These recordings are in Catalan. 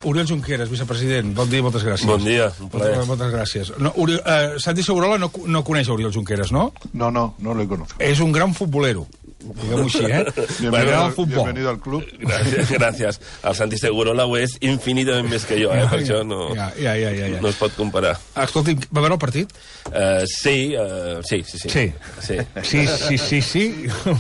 Oriol Junqueras, vicepresident, bon dia i moltes gràcies. Bon dia, un plaer. Moltes gràcies. Santi Segurola no coneix Oriol Junqueras, ¿no? No lo conozco. Es un gran futbolero. Digamos així, Bienvenido al club. Gràcies. El Santi Segurola ho és infinitament més que jo, per això no es pot comparar. Escolti, va veure el partit? Sí. Sí.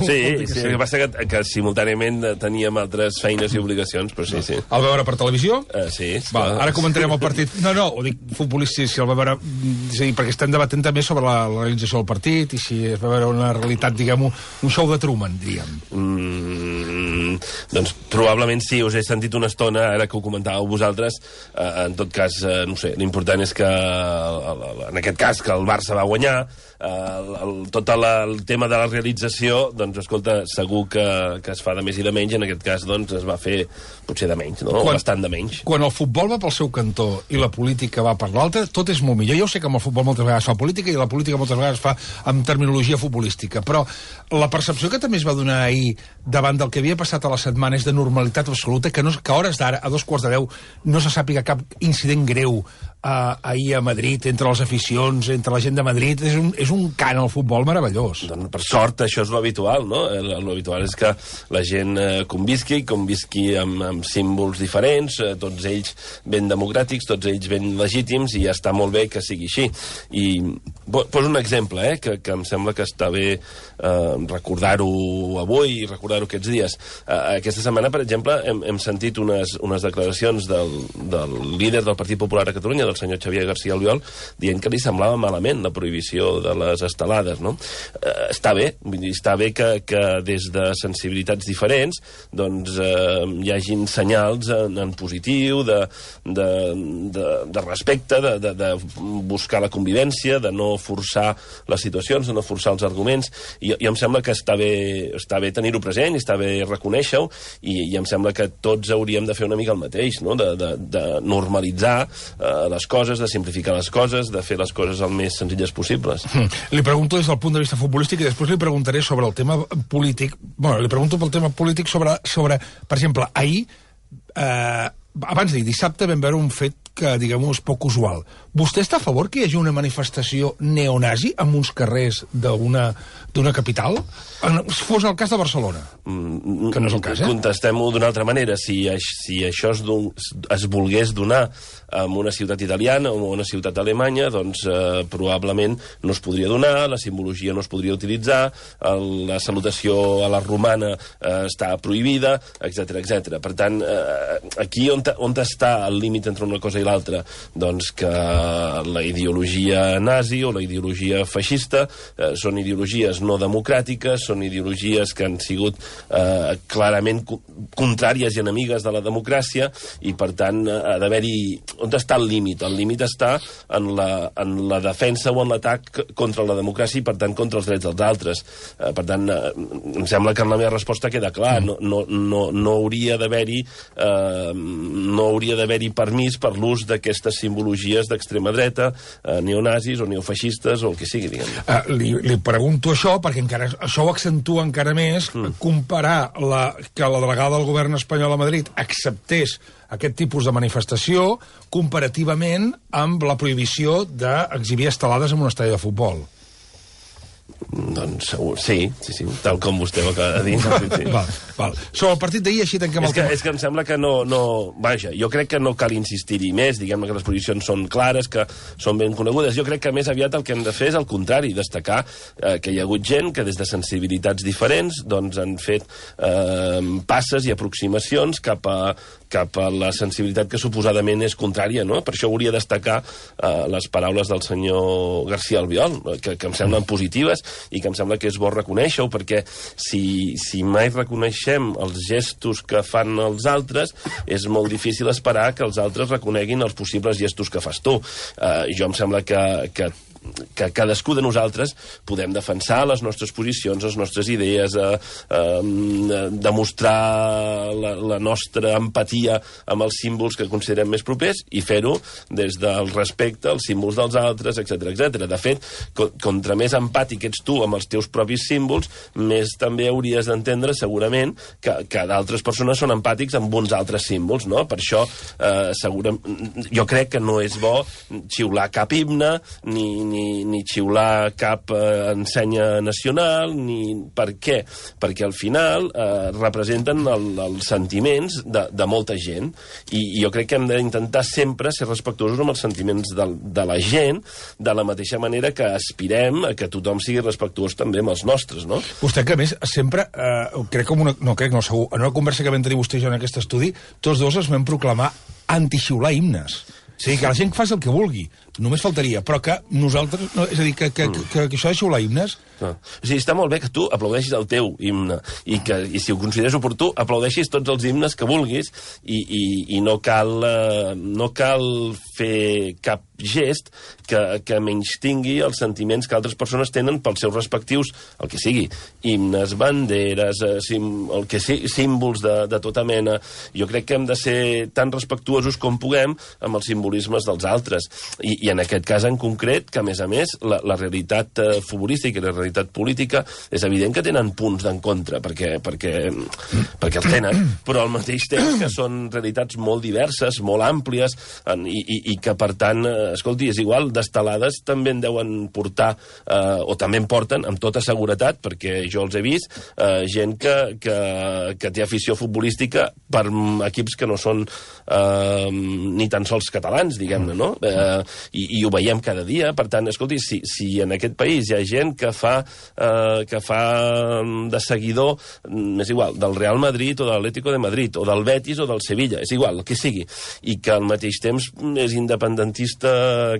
El que passa que simultàniament teníem altres feines i obligacions, però sí. El va veure per televisió? Sí. Ara comentarem el partit. No, ho dic futbolístic, si el va veure... perquè estem debatent també sobre la realització del partit i si es va veure una realitat, diguem, un show de Truman, diríem. Doncs probablement sí, us he sentit una estona, ara que ho comentàveu vosaltres. En tot cas, no sé, l'important és que, en aquest cas, que el Barça va guanyar. Tot el tema de la realització, doncs, escolta, segur que es fa de més i de menys, en aquest cas, doncs, es va fer potser de menys, no? Bastant de menys. Quan el futbol va pel seu cantó i la política va per l'altre, tot és molt millor. Jo sé que amb el futbol moltes vegades fa política i la política moltes vegades fa amb terminologia futbolística, però la percepció que també es va donar ahir davant del que havia passat a la setmana és de normalitat absoluta, que a hores d'ara, a 2:15, no se sàpiga cap incident greu ahir a Madrid, entre les aficions, entre la gent de Madrid. És un cant al futbol meravellós. Doncs, per sort, això és l'habitual, no? L'habitual és que la gent convisqui amb símbols diferents, tots ells ben democràtics, tots ells ben legítims, i ja està molt bé que sigui així. I poso un exemple, que em sembla que està bé recordar-ho avui i recordar-ho aquests dies. Aquesta setmana, per exemple, hem sentit unes declaracions del líder del Partit Popular a Catalunya, del senyor Xavier García Albiol, dient que li semblava malament la prohibició de les estelades, no? Està bé, vull dir, està bé que des de sensibilitats diferents doncs hi hagin senyals en positiu, de respecte, de buscar la convivència, de no forçar les situacions, de no forçar els arguments, i em sembla que està bé tenir-ho present, i està bé reconèixer-ho, i em sembla que tots hauríem de fer una mica el mateix, no? De normalitzar les coses, de simplificar les coses, de fer les coses el més senzilles possibles. Li pregunto des del punt de vista futbolístic i després li preguntaré sobre el tema polític. Bueno, li pregunto pel tema polític sobre per exemple, ahir, abans d'ahir, dissabte, vam veure un fet que, diguem-ho, és poc usual. Vostè està a favor que hi hagi una manifestació neonazi en uns carrers d'una capital? Fos el cas de Barcelona, que no és el cas, Contestem-ho d'una altra manera. Si això es volgués donar en una ciutat italiana o una ciutat alemanya, doncs probablement no es podria donar, la simbologia no es podria utilitzar, la salutació a la romana està prohibida, etc. Per tant, aquí on està el límit entre una cosa i l'altra? Doncs que la ideologia nazi o la ideologia feixista són ideologies no democràtiques, són ideologies que han sigut clarament contràries i enemigues de la democràcia, i per tant ha d'haver-hi... On està el límit? El límit està en la defensa o en l'atac contra la democràcia i per tant contra els drets dels altres. Per tant, em sembla que en la meva resposta queda clar. No hauria d'haver-hi permís per l'ús d'aquestes simbologies d'extrema dreta, neonazis o neofeixistes o el que sigui, diguem. Li pregunto això perquè encara això ho accentua encara més, comparar que la delegada del govern espanyol a Madrid acceptés aquest tipus de manifestació comparativament amb la prohibició d'exhibir estelades en un estadi de futbol. Doncs sí, tal com vostè ho acaba de dir. Sí. Val. Sobre el partit d'ahir, així tanquem el tema. És que em sembla que vaja, jo crec que no cal insistir-hi més, diguem-ne que les posicions són clares, que són ben conegudes. Jo crec que més aviat el que hem de fer és el contrari, destacar que hi ha hagut gent que des de sensibilitats diferents doncs han fet passes i aproximacions cap a la sensibilitat que suposadament és contrària, no? Per això hauria de destacar les paraules del senyor García Albiol, que em semblen positives i que em sembla que és bo reconèixer-ho, perquè si mai reconeixem els gestos que fan els altres, és molt difícil esperar que els altres reconeguin els possibles gestos que fas tu. Jo em sembla que que cadascú de nosaltres podem defensar les nostres posicions, les nostres idees, demostrar la nostra empatia amb els símbols que considerem més propers i fer-ho des del respecte als símbols dels altres, etc. De fet, contra més empàtic ets tu amb els teus propis símbols, més també hauries d'entendre, segurament, que d'altres persones són empàtics amb uns altres símbols, no? Per això, jo crec que no és bo xiular cap himne, ni xiular cap ensenya nacional, ni... Per què? Perquè al final representen els sentiments de molta gent, i jo crec que hem d'intentar sempre ser respectuosos amb els sentiments de la gent, de la mateixa manera que aspirem a que tothom sigui respectuós també amb els nostres, no? Vostè, que a més, sempre, segur, en una conversa que vam tenir vostè i jo en aquest estudi, tots dos es vam proclamar anti-xiular himnes. O sigui, que la gent faci el que vulgui, només faltaria, però que nosaltres... No, és a dir, que això de xiular himnes... No. O sigui, està molt bé que tu aplaudeixis el teu himne i si ho consideres oportú, aplaudeixis tots els himnes que vulguis i no cal fer cap gest que menystingui els sentiments que altres persones tenen pels seus respectius, el que sigui, himnes, banderes, símbols de tota mena. Jo crec que hem de ser tan respectuosos com puguem amb els simbolismes dels altres. I en aquest cas en concret, que a més, la realitat futbolística i la realitat política és evident que tenen punts d'encontre, perquè els tenen, però al mateix temps que són realitats molt diverses, molt àmplies, i que, per tant, escolti, és igual, d'estelades també en deuen portar, o també en porten, amb tota seguretat, perquè jo els he vist, gent que té afició futbolística per equips que no són ni tan sols catalans, diguem-ne, no? I ho veiem cada dia. Per tant, escolti, si en aquest país hi ha gent que fa de seguidor, és igual, del Real Madrid o de l'Atlético de Madrid, o del Betis o del Sevilla, és igual, el que sigui, i que al mateix temps és independentista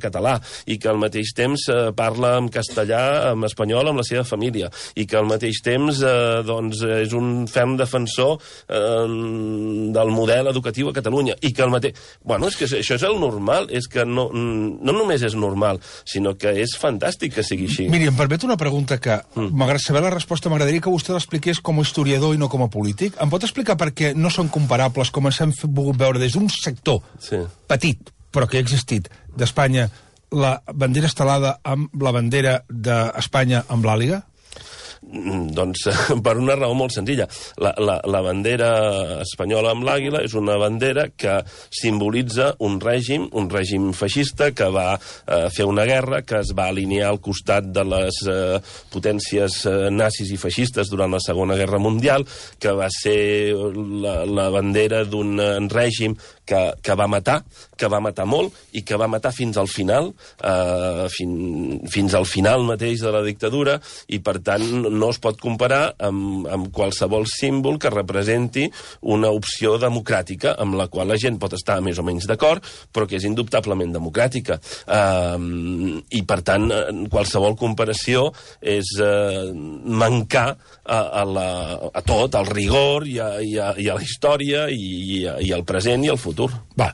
català, i que al mateix temps parla en castellà, en espanyol, amb la seva família, i que al mateix temps és un ferm defensor del model educatiu a Catalunya, i que al mateix... Bueno, és que això és el normal, és que no només és normal, sinó que és fantàstic que sigui així. Miri, em permet una pregunta que, malgrat saber la resposta, m'agradaria que vostè l'expliqués com a historiador i no com a polític. Em pot explicar per què no són comparables, com ens hem volgut veure des d'un sector petit, però que ha existit, d'Espanya, la bandera estelada amb la bandera d'Espanya amb l'àliga? Doncs per una raó molt senzilla. La bandera espanyola amb l'àguila és una bandera que simbolitza un règim feixista que va fer una guerra, que es va alinear al costat de les potències nazis i feixistes durant la Segona Guerra Mundial, que va ser la bandera d'un règim que va matar molt i que va matar fins al final, fins al final mateix de la dictadura, i per tant no es pot comparar amb qualsevol símbol que representi una opció democràtica amb la qual la gent pot estar més o menys d'acord, però que és indubtablement democràtica. I, per tant, qualsevol comparació és mancar a tot, al rigor i a la història i al present i al futur. Va,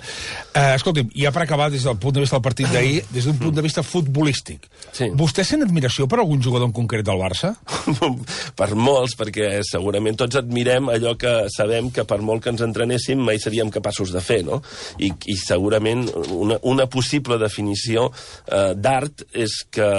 escolti'm, ja per acabar, des del punt de vista del partit d'ahir, des d'un punt de vista futbolístic, vostè sent admiració per algun jugador en concret del Barça? Per molts, perquè segurament tots admirem allò que sabem que per molt que ens entrenéssim mai seríem capaços de fer, no? I segurament una possible definició d'art és que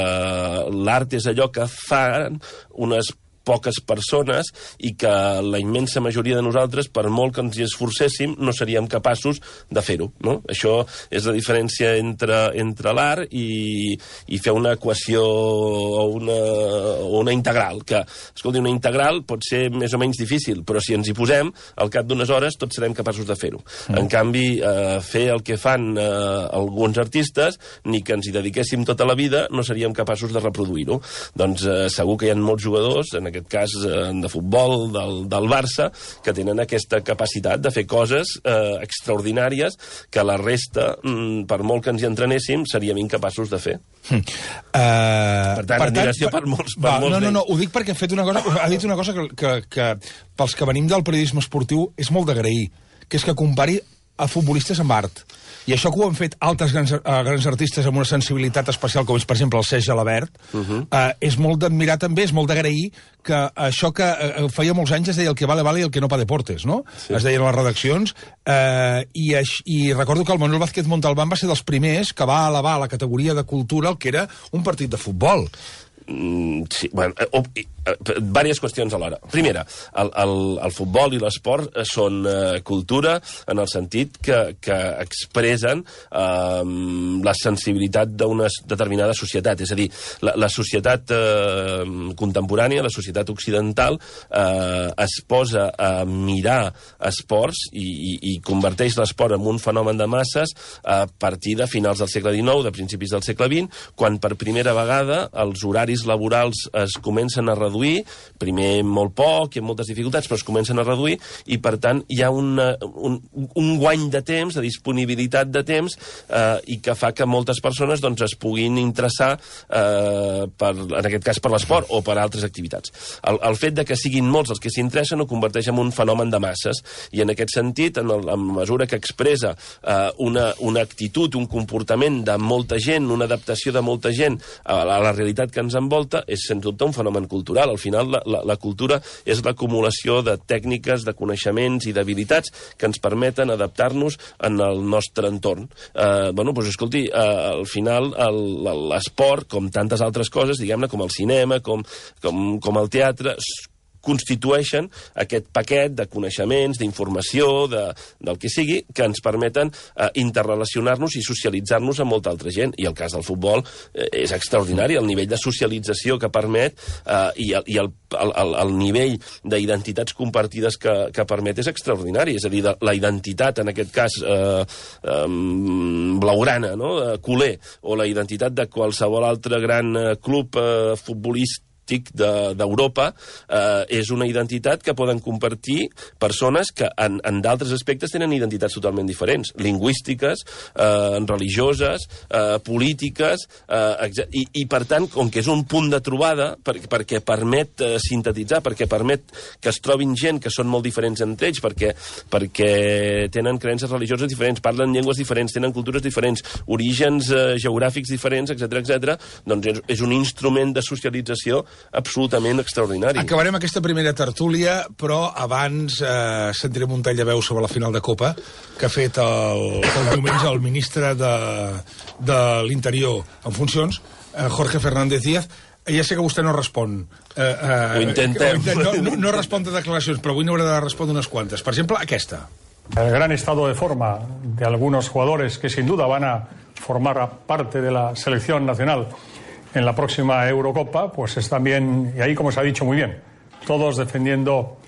l'art és allò que fan unes poques persones i que la immensa majoria de nosaltres, per molt que ens hi esforcéssim, no seríem capaços de fer-ho, no? Això és la diferència entre l'art i fer una equació o una integral, que, escolti, una integral pot ser més o menys difícil, però si ens hi posem, al cap d'unes hores tots serem capaços de fer-ho. En canvi, fer el que fan alguns artistes, ni que ens hi dediquéssim tota la vida, no seríem capaços de reproduir-ho. Doncs segur que hi ha molts jugadors, en aquest cas de futbol del Barça, que tenen aquesta capacitat de fer coses extraordinàries que la resta, per molt que ens hi entrenéssim, seríem incapaços de fer. Per tant, admiració per molts d'ells. No, ho dic perquè ha dit una cosa que pels que venim del periodisme esportiu és molt d'agrair, que és que compari futbolistes amb art. I això que ho han fet altres grans artistes amb una sensibilitat especial, com és, per exemple, el Cesc Gelabert, és molt d'admirar també, és molt d'agrair que això que feia molts anys es deia el que vale, vale i el que no pa deportes, no? Sí. Es deien a les redaccions, i recordo que el Manuel Vázquez Montalbán va ser dels primers que va elevar a la categoria de cultura el que era un partit de futbol. Sí, bueno, diverses qüestions alhora. Primera, el futbol i l'esport són cultura en el sentit que expressen la sensibilitat d'una determinada societat. És a dir, la societat contemporània, la societat occidental, es posa a mirar esports i converteix l'esport en un fenomen de masses a partir de finals del segle XIX, de principis del segle XX, quan per primera vegada els horaris laborals es comencen a reduir, primer molt poc i amb moltes dificultats, però es comencen a reduir, i per tant hi ha un guany de temps, de disponibilitat de temps, i que fa que moltes persones doncs, es puguin interessar, en aquest cas per l'esport o per altres activitats. El fet de que siguin molts els que s'interessen ho converteix en un fenomen de masses, i en aquest sentit, en mesura que expressa una actitud, un comportament de molta gent, una adaptació de molta gent a la realitat que ens envolta, és sens dubte un fenomen cultural. Al final, la cultura és l'acumulació de tècniques, de coneixements i d'habilitats que ens permeten adaptar-nos en el nostre entorn. Doncs, escolti, al final, l'esport, com tantes altres coses, diguem-ne, com el cinema, com el teatre, constitueixen aquest paquet de coneixements, d'informació, del que sigui, que ens permeten interrelacionar-nos i socialitzar-nos amb molta altra gent. I el cas del futbol és extraordinari, el nivell de socialització que permet i el nivell d'identitats compartides que permet és extraordinari. És a dir, la identitat, en aquest cas, blaugrana, no?, culer, o la identitat de qualsevol altre gran club futbolístic d'Europa, és una identitat que poden compartir persones que en d'altres aspectes tenen identitats totalment diferents, lingüístiques, religioses, polítiques, i per tant, com que és un punt de trobada, perquè permet sintetitzar, perquè permet que es trobin gent que són molt diferents entre ells, perquè tenen creences religioses diferents, parlen llengües diferents, tenen cultures diferents, orígens geogràfics diferents, etc., doncs és un instrument de socialització absolutament extraordinari. Acabarem aquesta primera tertúlia, però abans sentirem un tall de veu sobre la final de Copa que ha fet el diumenge el ministre de l'Interior en funcions, Jorge Fernández Díaz. Ja sé que vostè no respon. Ho intentem. No respon de declaracions, però avui n'haurà de respondre unes quantes. Per exemple, aquesta. El gran estado de forma de algunos jugadores que sin duda van a formar parte de la selección nacional en la próxima Eurocopa, pues es también, y ahí como se ha dicho muy bien, todos defendiendo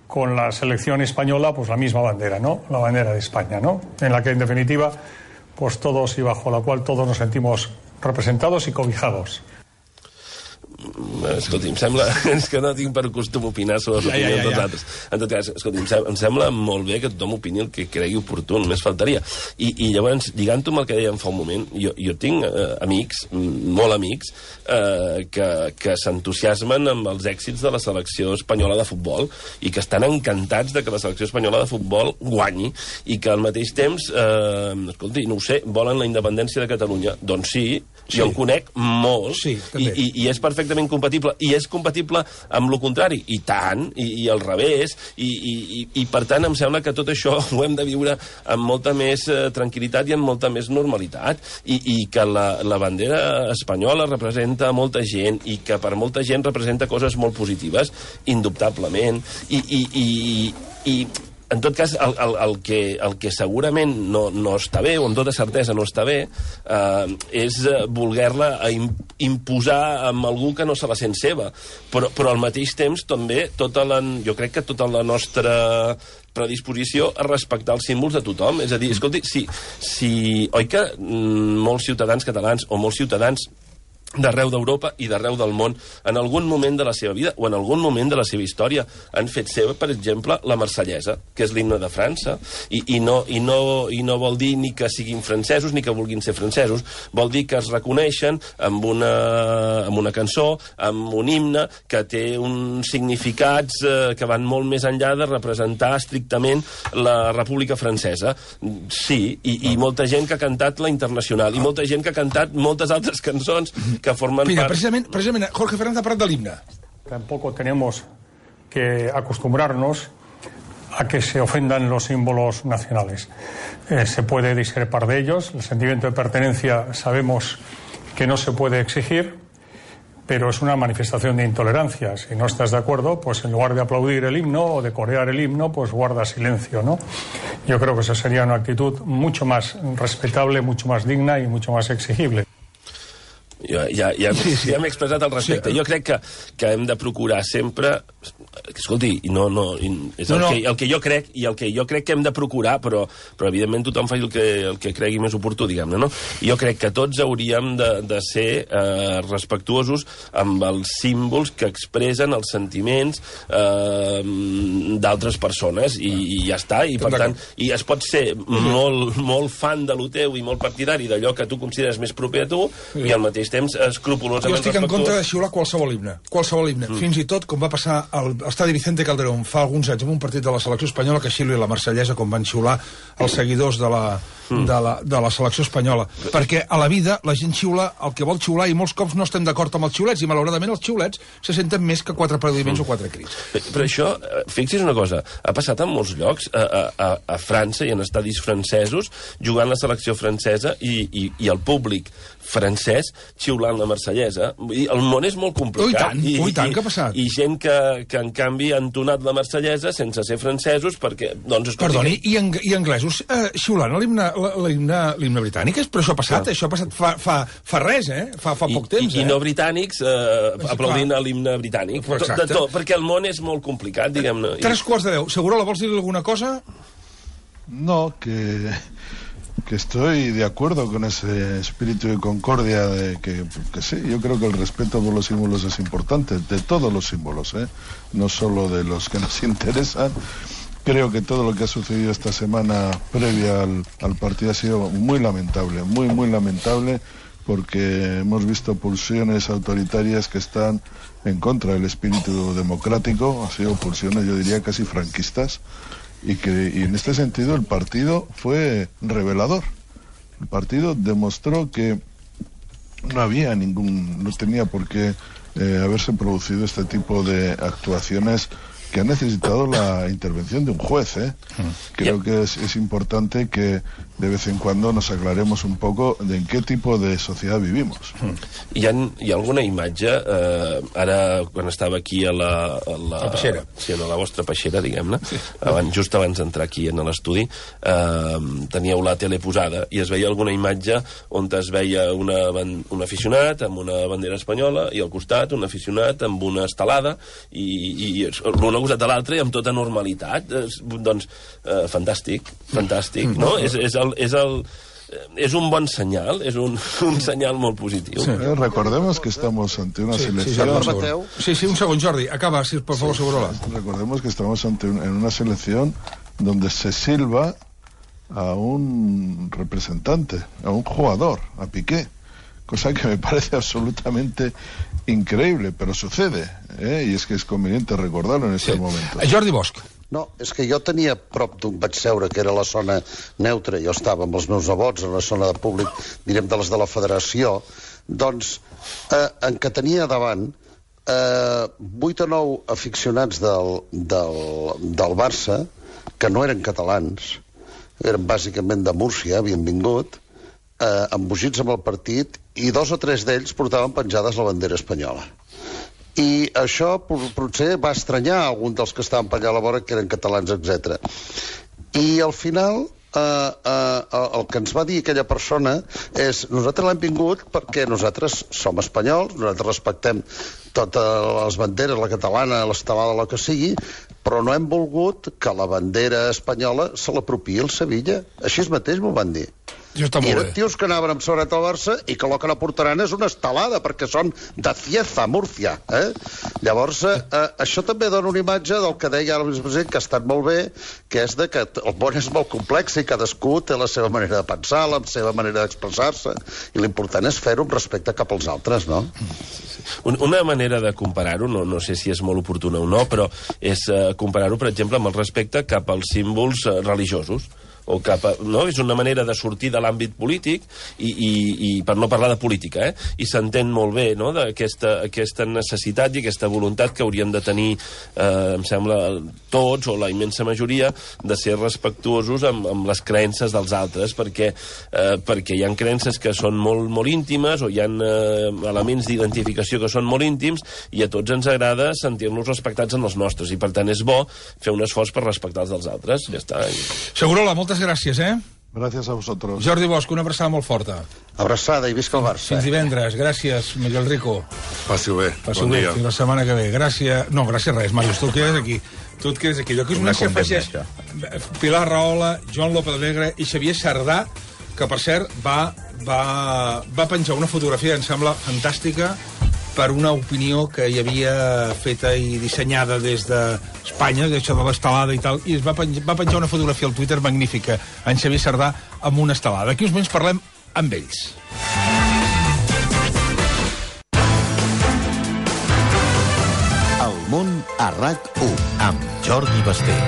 con la selección española pues la misma bandera, ¿no? La bandera de España, ¿no? En la que en definitiva pues todos y bajo la cual todos nos sentimos representados y cobijados. Escolti, em sembla... És que no tinc per costum opinar sobre les opinions dels altres. En tot cas, escolti, em sembla molt bé que tothom opini el que cregui oportú, només faltaria. I llavors, lligant-ho amb el que dèiem fa un moment, jo tinc amics, molt amics, que s'entusiasmen amb els èxits de la selecció espanyola de futbol i que estan encantats de que la selecció espanyola de futbol guanyi i que al mateix temps, escolti, no ho sé, volen la independència de Catalunya. Doncs sí, jo en conec molts, i és perfectament compatible, i és compatible amb lo contrari, i tant, i al revés, i per tant em sembla que tot això ho hem de viure amb molta més tranquil·litat i amb molta més normalitat, i que la bandera espanyola representa molta gent, i que per molta gent representa coses molt positives, indubtablement, i en tot cas, el que segurament no està bé, o amb tota certesa no està bé, és voler-la imposar amb algú que no se la sent seva. Però al mateix temps, també, jo crec que tota la nostra predisposició a respectar els símbols de tothom. És a dir, escolti, oi que molts ciutadans catalans o molts ciutadans d'arreu d'Europa i d'arreu del món en algun moment de la seva vida o en algun moment de la seva història. Han fet seva, per exemple, la Marsellesa, que és l'himne de França, i no vol dir ni que siguin francesos ni que vulguin ser francesos, vol dir que es reconeixen amb una cançó, amb un himne que té uns significats que van molt més enllà de representar estrictament la República Francesa. Sí, i molta gent que ha cantat la Internacional, i molta gent que ha cantat moltes altres cançons que formen Mira, part... precisament, Jorge Fernández ha parlat de l'himne. Tampoco tenemos que acostumbrarnos a que se ofendan los símbolos nacionales. Se puede discrepar de ellos. El sentimiento de pertenencia sabemos que no se puede exigir, pero es una manifestación de intolerancia. Si no estás de acuerdo, pues en lugar de aplaudir el himno o de corear el himno, pues guarda silencio, ¿no? Yo creo que esa sería una actitud mucho más respetable, mucho más digna y mucho más exigible. Ja m'he expressat al respecte. Jo crec que hem de procurar sempre... Escolti, és el que jo crec, i el que jo crec que hem de procurar, però evidentment tothom fa el que cregui més oportú, diguem-ne, no? Jo crec que tots hauríem de ser respectuosos amb els símbols que expressen els sentiments d'altres persones, i ja està, i per tant, i es pot ser molt fan de lo teu i molt partidari d'allò que tu consideres més proper a tu, i al mateix temps escrupolosament respectuós. Jo estic en contra de xiular qualsevol himne. Fins i tot, com va passar al estadi Vicente Calderón fa alguns anys en un partit de la selecció espanyola, que xiuli la Marsellesa, com van xiular els seguidors de la selecció espanyola. Perquè a la vida la gent xiula el que vol xiular, i molts cops no estem d'acord amb els xiulets, i malauradament els xiulets se senten més que 4 aplaudiments o 4 crits. Però això, fixi's una cosa, ha passat en molts llocs, a França i en estadis francesos, jugant la selecció francesa i el públic francès xiulant la Marsellesa. El món és molt complicat. I tant, què ha passat? I gent que en canvi ha entonat la Marsellesa sense ser francesos perquè... Perdoni, i anglesos xiulant l'himne britànic? Però això ha passat, això ha passat fa res, fa poc temps. I no britànics aplaudint l'himne britànic. De tot, perquè el món és molt complicat, diguem-ne. 3:45. Segurola, vols dir alguna cosa? No, que estoy de acuerdo con ese espíritu de concordia, que sí, yo creo que el respeto por los símbolos es importante, de todos los símbolos, no solo de los que nos interesan. Creo que todo lo que ha sucedido esta semana previa al partido ha sido muy lamentable, muy lamentable, porque hemos visto pulsiones autoritarias que están en contra del espíritu democrático, han sido pulsiones, yo diría, casi franquistas. Y en este sentido el partido fue revelador. El partido demostró que no tenía por qué haberse producido este tipo de actuaciones que ha necesitado la intervención de un juez. Creo que es importante que de vez en cuando nos aclaremos un poco de en qué tipo de sociedad vivimos. Hi ha alguna imatge, ara quan estava aquí a la peixera. Sí, a la vostra peixera, diguem-ne, just abans d'entrar aquí en l'estudi, teníeu la tele posada i es veia alguna imatge on es veia un aficionat amb una bandera espanyola i al costat un aficionat amb una estelada i l'un al costat de l'altre i amb tota normalitat. Doncs fantàstic, no? És un bon senyal, és un senyal molt positiu. Sí. Recordemos que estamos ante una selección... Sí, un segon, Jordi. Acaba, por favor, Segurola. Recordemos que estamos en una selección donde se silba a un representante, a un jugador, a Piqué, cosa que me parece absolutamente increíble, pero sucede, y es que es conveniente recordarlo en este momento. Jordi Bosch. No, és que jo tenia prop d'on vaig seure, que era la zona neutra, jo estava amb els meus nebots en la zona de públic, direm de les de la federació, doncs, en què tenia davant 8 o 9 aficionats del Barça, que no eren catalans, eren bàsicament de Múrcia, havien vingut, embogits amb el partit, i 2 o 3 d'ells portaven penjades la bandera espanyola. I això potser va estranyar algun dels que estaven per allà a la vora, que eren catalans, etc. I al final el que ens va dir aquella persona és: nosaltres l'hem vingut perquè nosaltres som espanyols, nosaltres respectem totes les banderes, la catalana, l'estelada, la que sigui, però no hem volgut que la bandera espanyola se l'apropiï el Sevilla. Així mateix m'ho van dir. I eren tios que anaven amb sobret al Barça i que lo que la portaran és una estelada, perquè són de Cieza, Múrcia. Llavors, això també dona una imatge del que deia el vicepresident, que ha estat molt bé, que és de que el món és molt complex i cadascú té la seva manera de pensar, la seva manera d'expressar-se, i l'important és fer-ho amb respecte cap als altres, no? Una manera de comparar-ho, no sé si és molt oportuna o no, però és comparar-ho, per exemple, amb el respecte cap als símbols religiosos. O cap a, no? És una manera de sortir de l'àmbit polític i per no parlar de política, i s'entén molt bé, no?, aquesta necessitat i aquesta voluntat que hauríem de tenir, em sembla, tots o la immensa majoria, de ser respectuosos amb les creences dels altres, perquè hi ha creences que són molt íntimes o hi ha elements d'identificació que són molt íntims i a tots ens agrada sentir-nos respectats en els nostres, i per tant és bo fer un esforç per respectar els dels altres. Ja està. Segurola, moltes gràcies, Gràcies a vosaltres. Jordi Bosch, una abraçada molt forta. Abraçada i visca el Barça. Fins divendres. Gràcies, Miguel Rico. Passi-ho bé. Passi-ho bé. Fins la setmana que ve. Gràcies. No, gràcies res, Màrius, tu et quedes aquí. Tu et quedes aquí. Jo que us coneixia afegeix Pilar Rahola, Joan López Alegre i Xavier Sardà, que, per cert, va penjar una fotografia, em sembla fantàstica, per una opinió que hi havia feta i dissenyada des d'Espanya, d'això de l'estelada i tal, i va penjar una fotografia al Twitter magnífica, en Xavier Sardà, amb una estelada. Aquí uns moments parlem amb ells. El món a RAC1, amb Jordi Basté.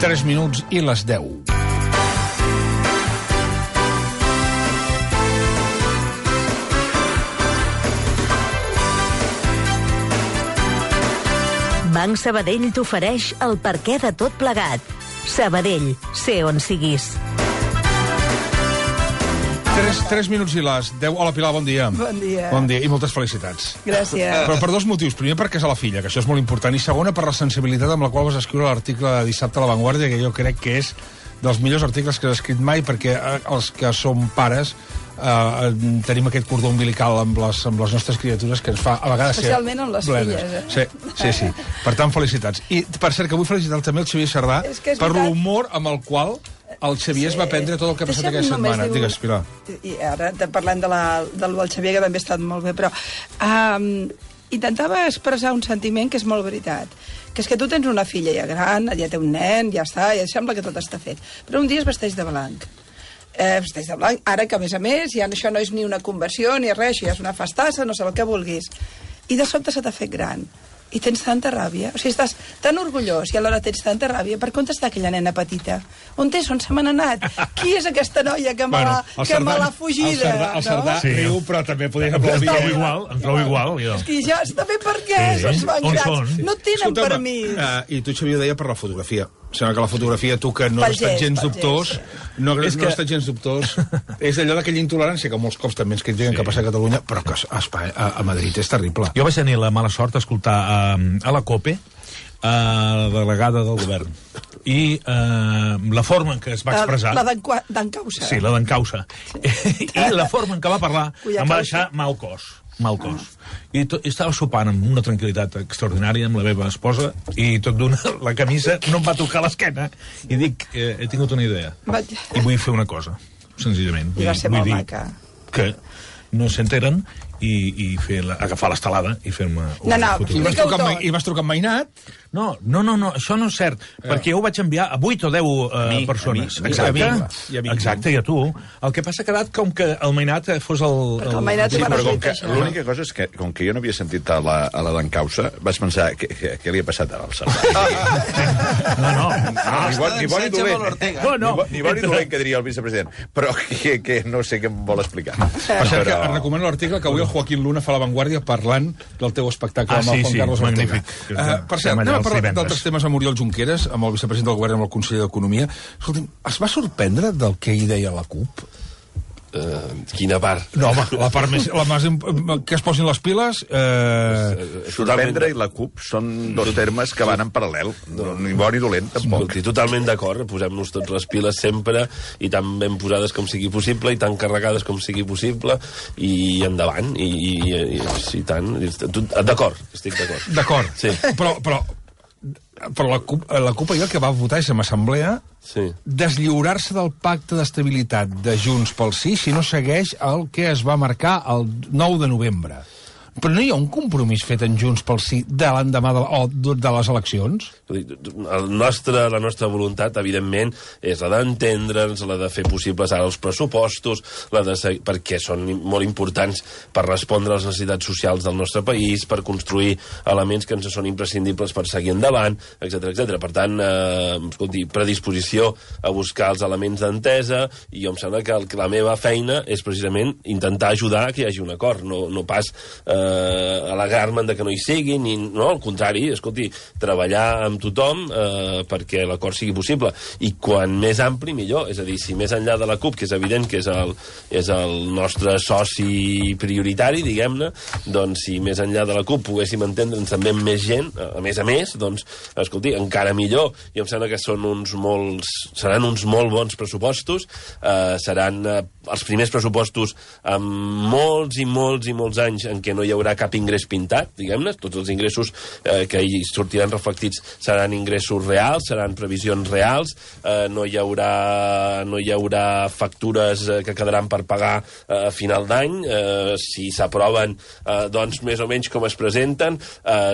3 minuts i les 10. Banc Sabadell t'ofereix el perquè de tot plegat. Sabadell, sé on siguis. 3 minuts i les 10. Hola, Pilar, bon dia. Bon dia. Bon dia i moltes felicitats. Gràcies. Però per 2 motius. Primer, perquè és a la filla, que això és molt important. I segona, per la sensibilitat amb la qual vas escriure l'article de dissabte a La Vanguardia, que jo crec que és dels millors articles que has escrit mai, perquè els que som pares tenim aquest cordó umbilical amb les nostres criatures que ens fa a vegades especialment amb les plenes. filles, Sí. Per tant, felicitats. I, per cert, que vull felicitar també el Xavier Sardà per l'humor amb el qual el Xavier es va prendre tot el que ha passat aquesta setmana. Digues, Pilar. I ara parlant del Xavier, que també ha estat molt bé, però intentava expressar un sentiment que és molt veritat, que és que tu tens una filla ja gran, ja té un nen, ja està, ja sembla que tot està fet, però un dia es vesteix de blanc. Ara que, a més, ja això no és ni una conversió ni res, això ja és una festassa, no sé el que vulguis. I de sobte se t'ha fet gran. I tens tanta ràbia. O sigui, estàs tan orgullós i alhora tens tanta ràbia. Per on està aquella nena petita? On se m'han anat? Qui és aquesta noia que me l'ha fugida? El Sardà riu, però també podria aplaudir. Em trobo igual. És que ja també per què? Són grans. No tenen permís. I tu, Xavier, ho deia per la fotografia. Sembla que la fotografia, tu que no has estat gens dubtós, no has estat gens dubtós, és allò d'aquella intolerància que molts cops també ens critiquen que passa a Catalunya, però que a Madrid és terrible. Jo vaig tenir la mala sort d'escoltar a la COPE la delegada del govern. I la forma en què es va expressar... La d'encausa. Sí, la d'encausa. I la forma en què va parlar em va deixar mal cos. I estava sopant amb una tranquil·litat extraordinària amb la meva esposa i tot d'una, la camisa no em va tocar l'esquena i dic, he tingut una idea i vull fer una cosa, senzillament. I va ser molt maca. Que no s'enteren i agafar l'estelada i fer-me una fotografia. I vas trucar amb Mainat? No, això no és cert, perquè jo ho vaig enviar a 8 o 10 persones. Exacte, i a tu. El que passa ha quedat com que el Mainat fos el... Perquè el Mainat va resultar això. L'única cosa és que, com que jo no havia sentit a la d'encausa, vaig pensar, què li ha passat al Sardà? Ni bon ni dolent. Ni bon ni dolent, que diria el vicepresident. Però que no sé què em vol explicar. Per cert, que recomano l'article que avui el Joaquín Luna fa a La Vanguardia parlant del teu espectacle amb el Juan Carlos Ortega. Per cert, anem a parlar d'altres temes amb Oriol Junqueras, amb el vicepresident del govern, amb el conseller d'Economia. Escolta'm, es va sorprendre del que hi deia la CUP? Quina part? No, home, la part més... que es posin les piles... Sorprendre i la CUP són dos termes que van en paral·lel. Ni bo ni dolent, tampoc. Totalment d'acord. Posem-nos tots les piles sempre i tan ben posades com sigui possible i tan carregades com sigui possible i endavant. I tant. D'acord, estic d'acord. D'acord. Sí. Però però la CUP ahir el que va votar és en assemblea deslliurar-se del pacte d'estabilitat de Junts pel Sí si no segueix el que es va marcar el 9 de novembre. Però no hi ha un compromís fet en Junts pel Sí de l'endemà de les eleccions? La nostra voluntat, evidentment, és la d'entendre'ns, la de fer possibles ara els pressupostos, perquè són molt importants per respondre a les necessitats socials del nostre país, per construir elements que ens són imprescindibles per seguir endavant, etc. Per tant, escolti, predisposició a buscar els elements d'entesa, i jo em sembla que la meva feina és precisament intentar ajudar a que hi hagi un acord, no pas alegar-me'n de que no hi sigui, no, al contrari, escolti, treballar amb tothom perquè l'acord sigui possible, i quan més ampli millor, és a dir, si més enllà de la CUP, que és evident que és el nostre soci prioritari, diguem-ne, doncs si més enllà de la CUP poguéssim entendre'ns també amb més gent, a més, doncs, escolti, encara millor. Jo em sembla que seran uns molt bons pressupostos, seran els primers pressupostos amb molts i molts anys en què no hi haurà cap ingrés pintat, diguem-ne, tots els ingressos que hi sortiran reflectits seran ingressos reals, seran previsions reals, no hi haurà factures que quedaran per pagar a final d'any, si s'aproven, doncs més o menys com es presenten,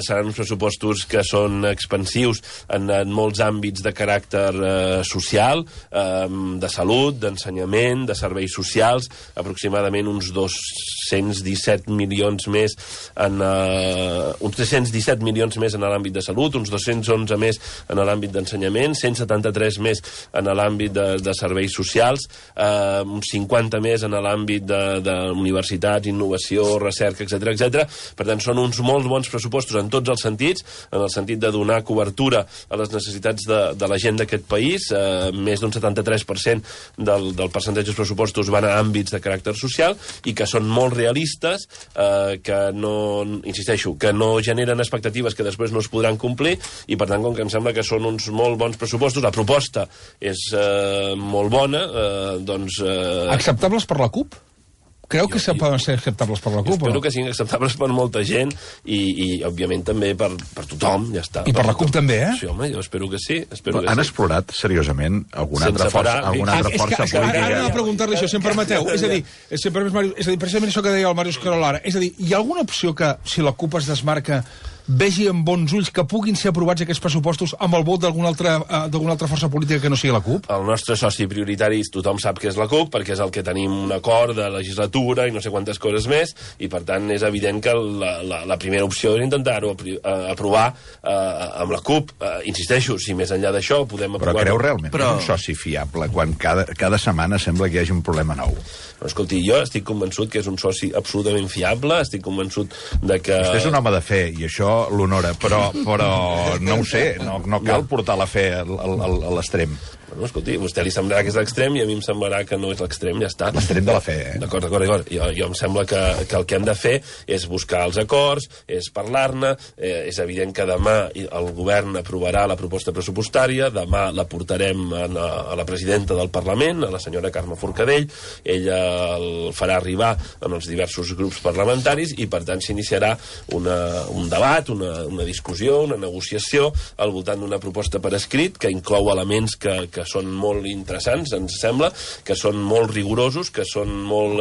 seran uns pressupostos que són expansius en molts àmbits de caràcter social, de salut, d'ensenyament, de serveis socials, aproximadament uns 217 milions més uns 317 milions més en l'àmbit de salut, uns 211 més en l'àmbit d'ensenyament, 173 més en l'àmbit de serveis socials, uns 50 més en l'àmbit d'universitats, innovació, recerca, etc. Per tant, són uns molt bons pressupostos en tots els sentits, en el sentit de donar cobertura a les necessitats de la gent d'aquest país. Més d'un 73% del percentatge dels pressupostos van a àmbits de caràcter social i que són molt realistes, que insisteixo, que no generen expectatives que després no es podran complir, i per tant, com que em sembla que són uns molt bons pressupostos, la proposta és molt bona, doncs... Acceptables per la CUP? Creu que poden ser acceptables per la CUP? Espero que siguin acceptables per molta gent i òbviament, també per tothom, ja està. I per la CUP també, eh? Sí, home, jo espero que sí. Han explorat, seriosament, alguna altra força política? Ara anava a preguntar-li això, si em permeteu. És a dir, precisament això que deia el Màrius Carolara. És a dir, hi ha alguna opció que, si la CUP es desmarca, vegi amb bons ulls que puguin ser aprovats aquests pressupostos amb el vot d'alguna altra força política que no sigui la CUP? El nostre soci prioritari, tothom sap que és la CUP, perquè és el que tenim un acord de legislatura i no sé quantes coses més, i per tant és evident que la primera opció és intentar-ho aprovar amb la CUP. Insisteixo, si més enllà d'això podem aprovar... Però creu realment que és un soci fiable quan cada setmana sembla que hi hagi un problema nou? Però, escolti, jo estic convençut que és un soci absolutament fiable, estic convençut de que... Vostè és un home de fe, i això l'honora, però no ho sé, no cal portar la fe a l'extrem. Bueno, escolti, a vostè li semblarà que és l'extrem i a mi em semblarà que no és l'extrem, ja està. L'extrem de la fe, eh? D'acord. Jo em sembla que el que hem de fer és buscar els acords, és parlar-ne, és evident que demà el govern aprovarà la proposta pressupostària, demà la portarem a la presidenta del Parlament, a la senyora Carme Forcadell, ella el farà arribar en els diversos grups parlamentaris i, per tant, s'iniciarà un debat, una discussió, una negociació al voltant d'una proposta per escrit que inclou elements que són molt interessants, ens sembla, que són molt rigorosos, que són molt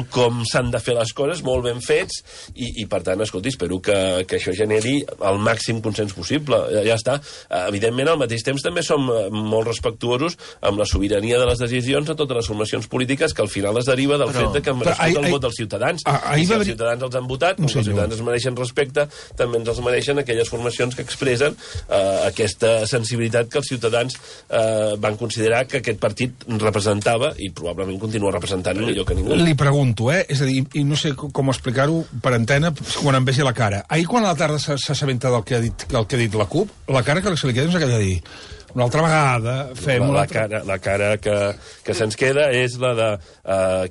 com s'han de fer les coses, molt ben fets, i per tant, escolti, espero que això generi el màxim consens possible. Ja està. Evidentment, al mateix temps també som molt respectuosos amb la sobirania de les decisions de totes les formacions polítiques, que al final es deriva del fet que han merescut el vot dels ciutadans. I si els ciutadans els han votat, els ciutadans es mereixen respecte, també ens els mereixen aquelles formacions que expressen aquesta sensibilitat que els ciutadans van considerar que aquest partit representava i probablement continua representant millor que ningú. Li pregunto, és a dir, i no sé com explicar-ho per antena quan em vegi la cara. Ahir, quan a la tarda s'assabenta del que ha dit la CUP, la cara que se li queda és aquella de dir una altra vegada fem la cara que se'ns queda és la de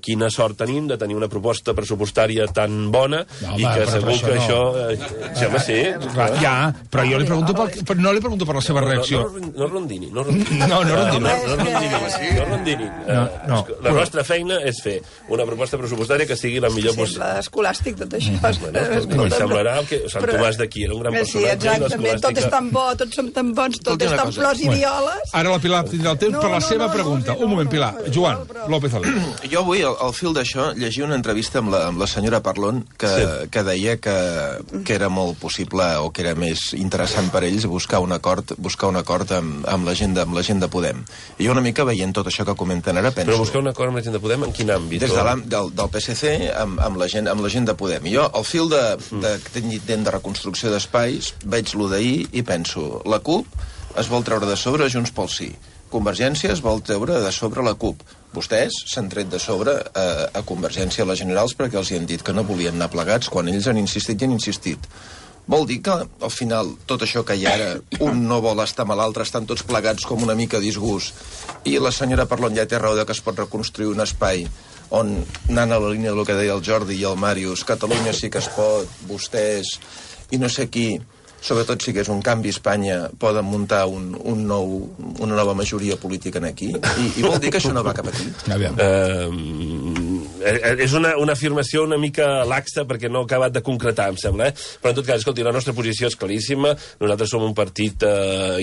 quina sort tenim de tenir una proposta pressupostària tan bona i que segur que això... Home, sí. Ja, però jo li pregunto no li pregunto per la seva reacció. No rondini. No rondini. La nostra feina és fer una proposta pressupostària que sigui la millor possible. Sembla escolàstic, tot això. Bueno, semblarà que Sant Tomàs d'aquí era un gran personatge. Sí, exactament, tot és tan bo, tots som tan bons, tot és tan flors i violes. Ara la Pilar tindrà el temps per la seva pregunta. Un moment, Pilar. Joan López Alí. Jo vull, al fil d'això, llegir una entrevista amb la senyora Parlon que deia que era molt possible o que era més interessant per ells buscar un acord amb la gent de Podem. I jo una mica veient tot això que comenten ara penso... Però buscar un acord amb la gent de Podem en quin àmbit? Des del PSC amb la gent de Podem. I jo, al fil de reconstrucció d'espais, veig lo d'ahir i penso, la CUP es vol treure de sobre Junts pel Sí. Convergència es vol treure de sobre la CUP. Vostès s'han tret de sobre a Convergència a les generals perquè els hi han dit que no volien anar plegats quan ells han insistit i han insistit. Vol dir que, al final, tot això que hi ha ara, un no vol estar amb l'altre, estan tots plegats com una mica a disgust, i la senyora Parlon ja té raó que es pot reconstruir un espai on, anant a la línia del que deia el Jordi i el Màrius, Catalunya sí que es pot, vostès i no sé qui, sobretot si hagués un canvi a Espanya, poden muntar una nova majoria política aquí, i vol dir que això no va cap aquí. És una afirmació una mica laxa perquè no ha acabat de concretar, em sembla, però en tot cas, escolti, la nostra posició és claríssima. Nosaltres som un partit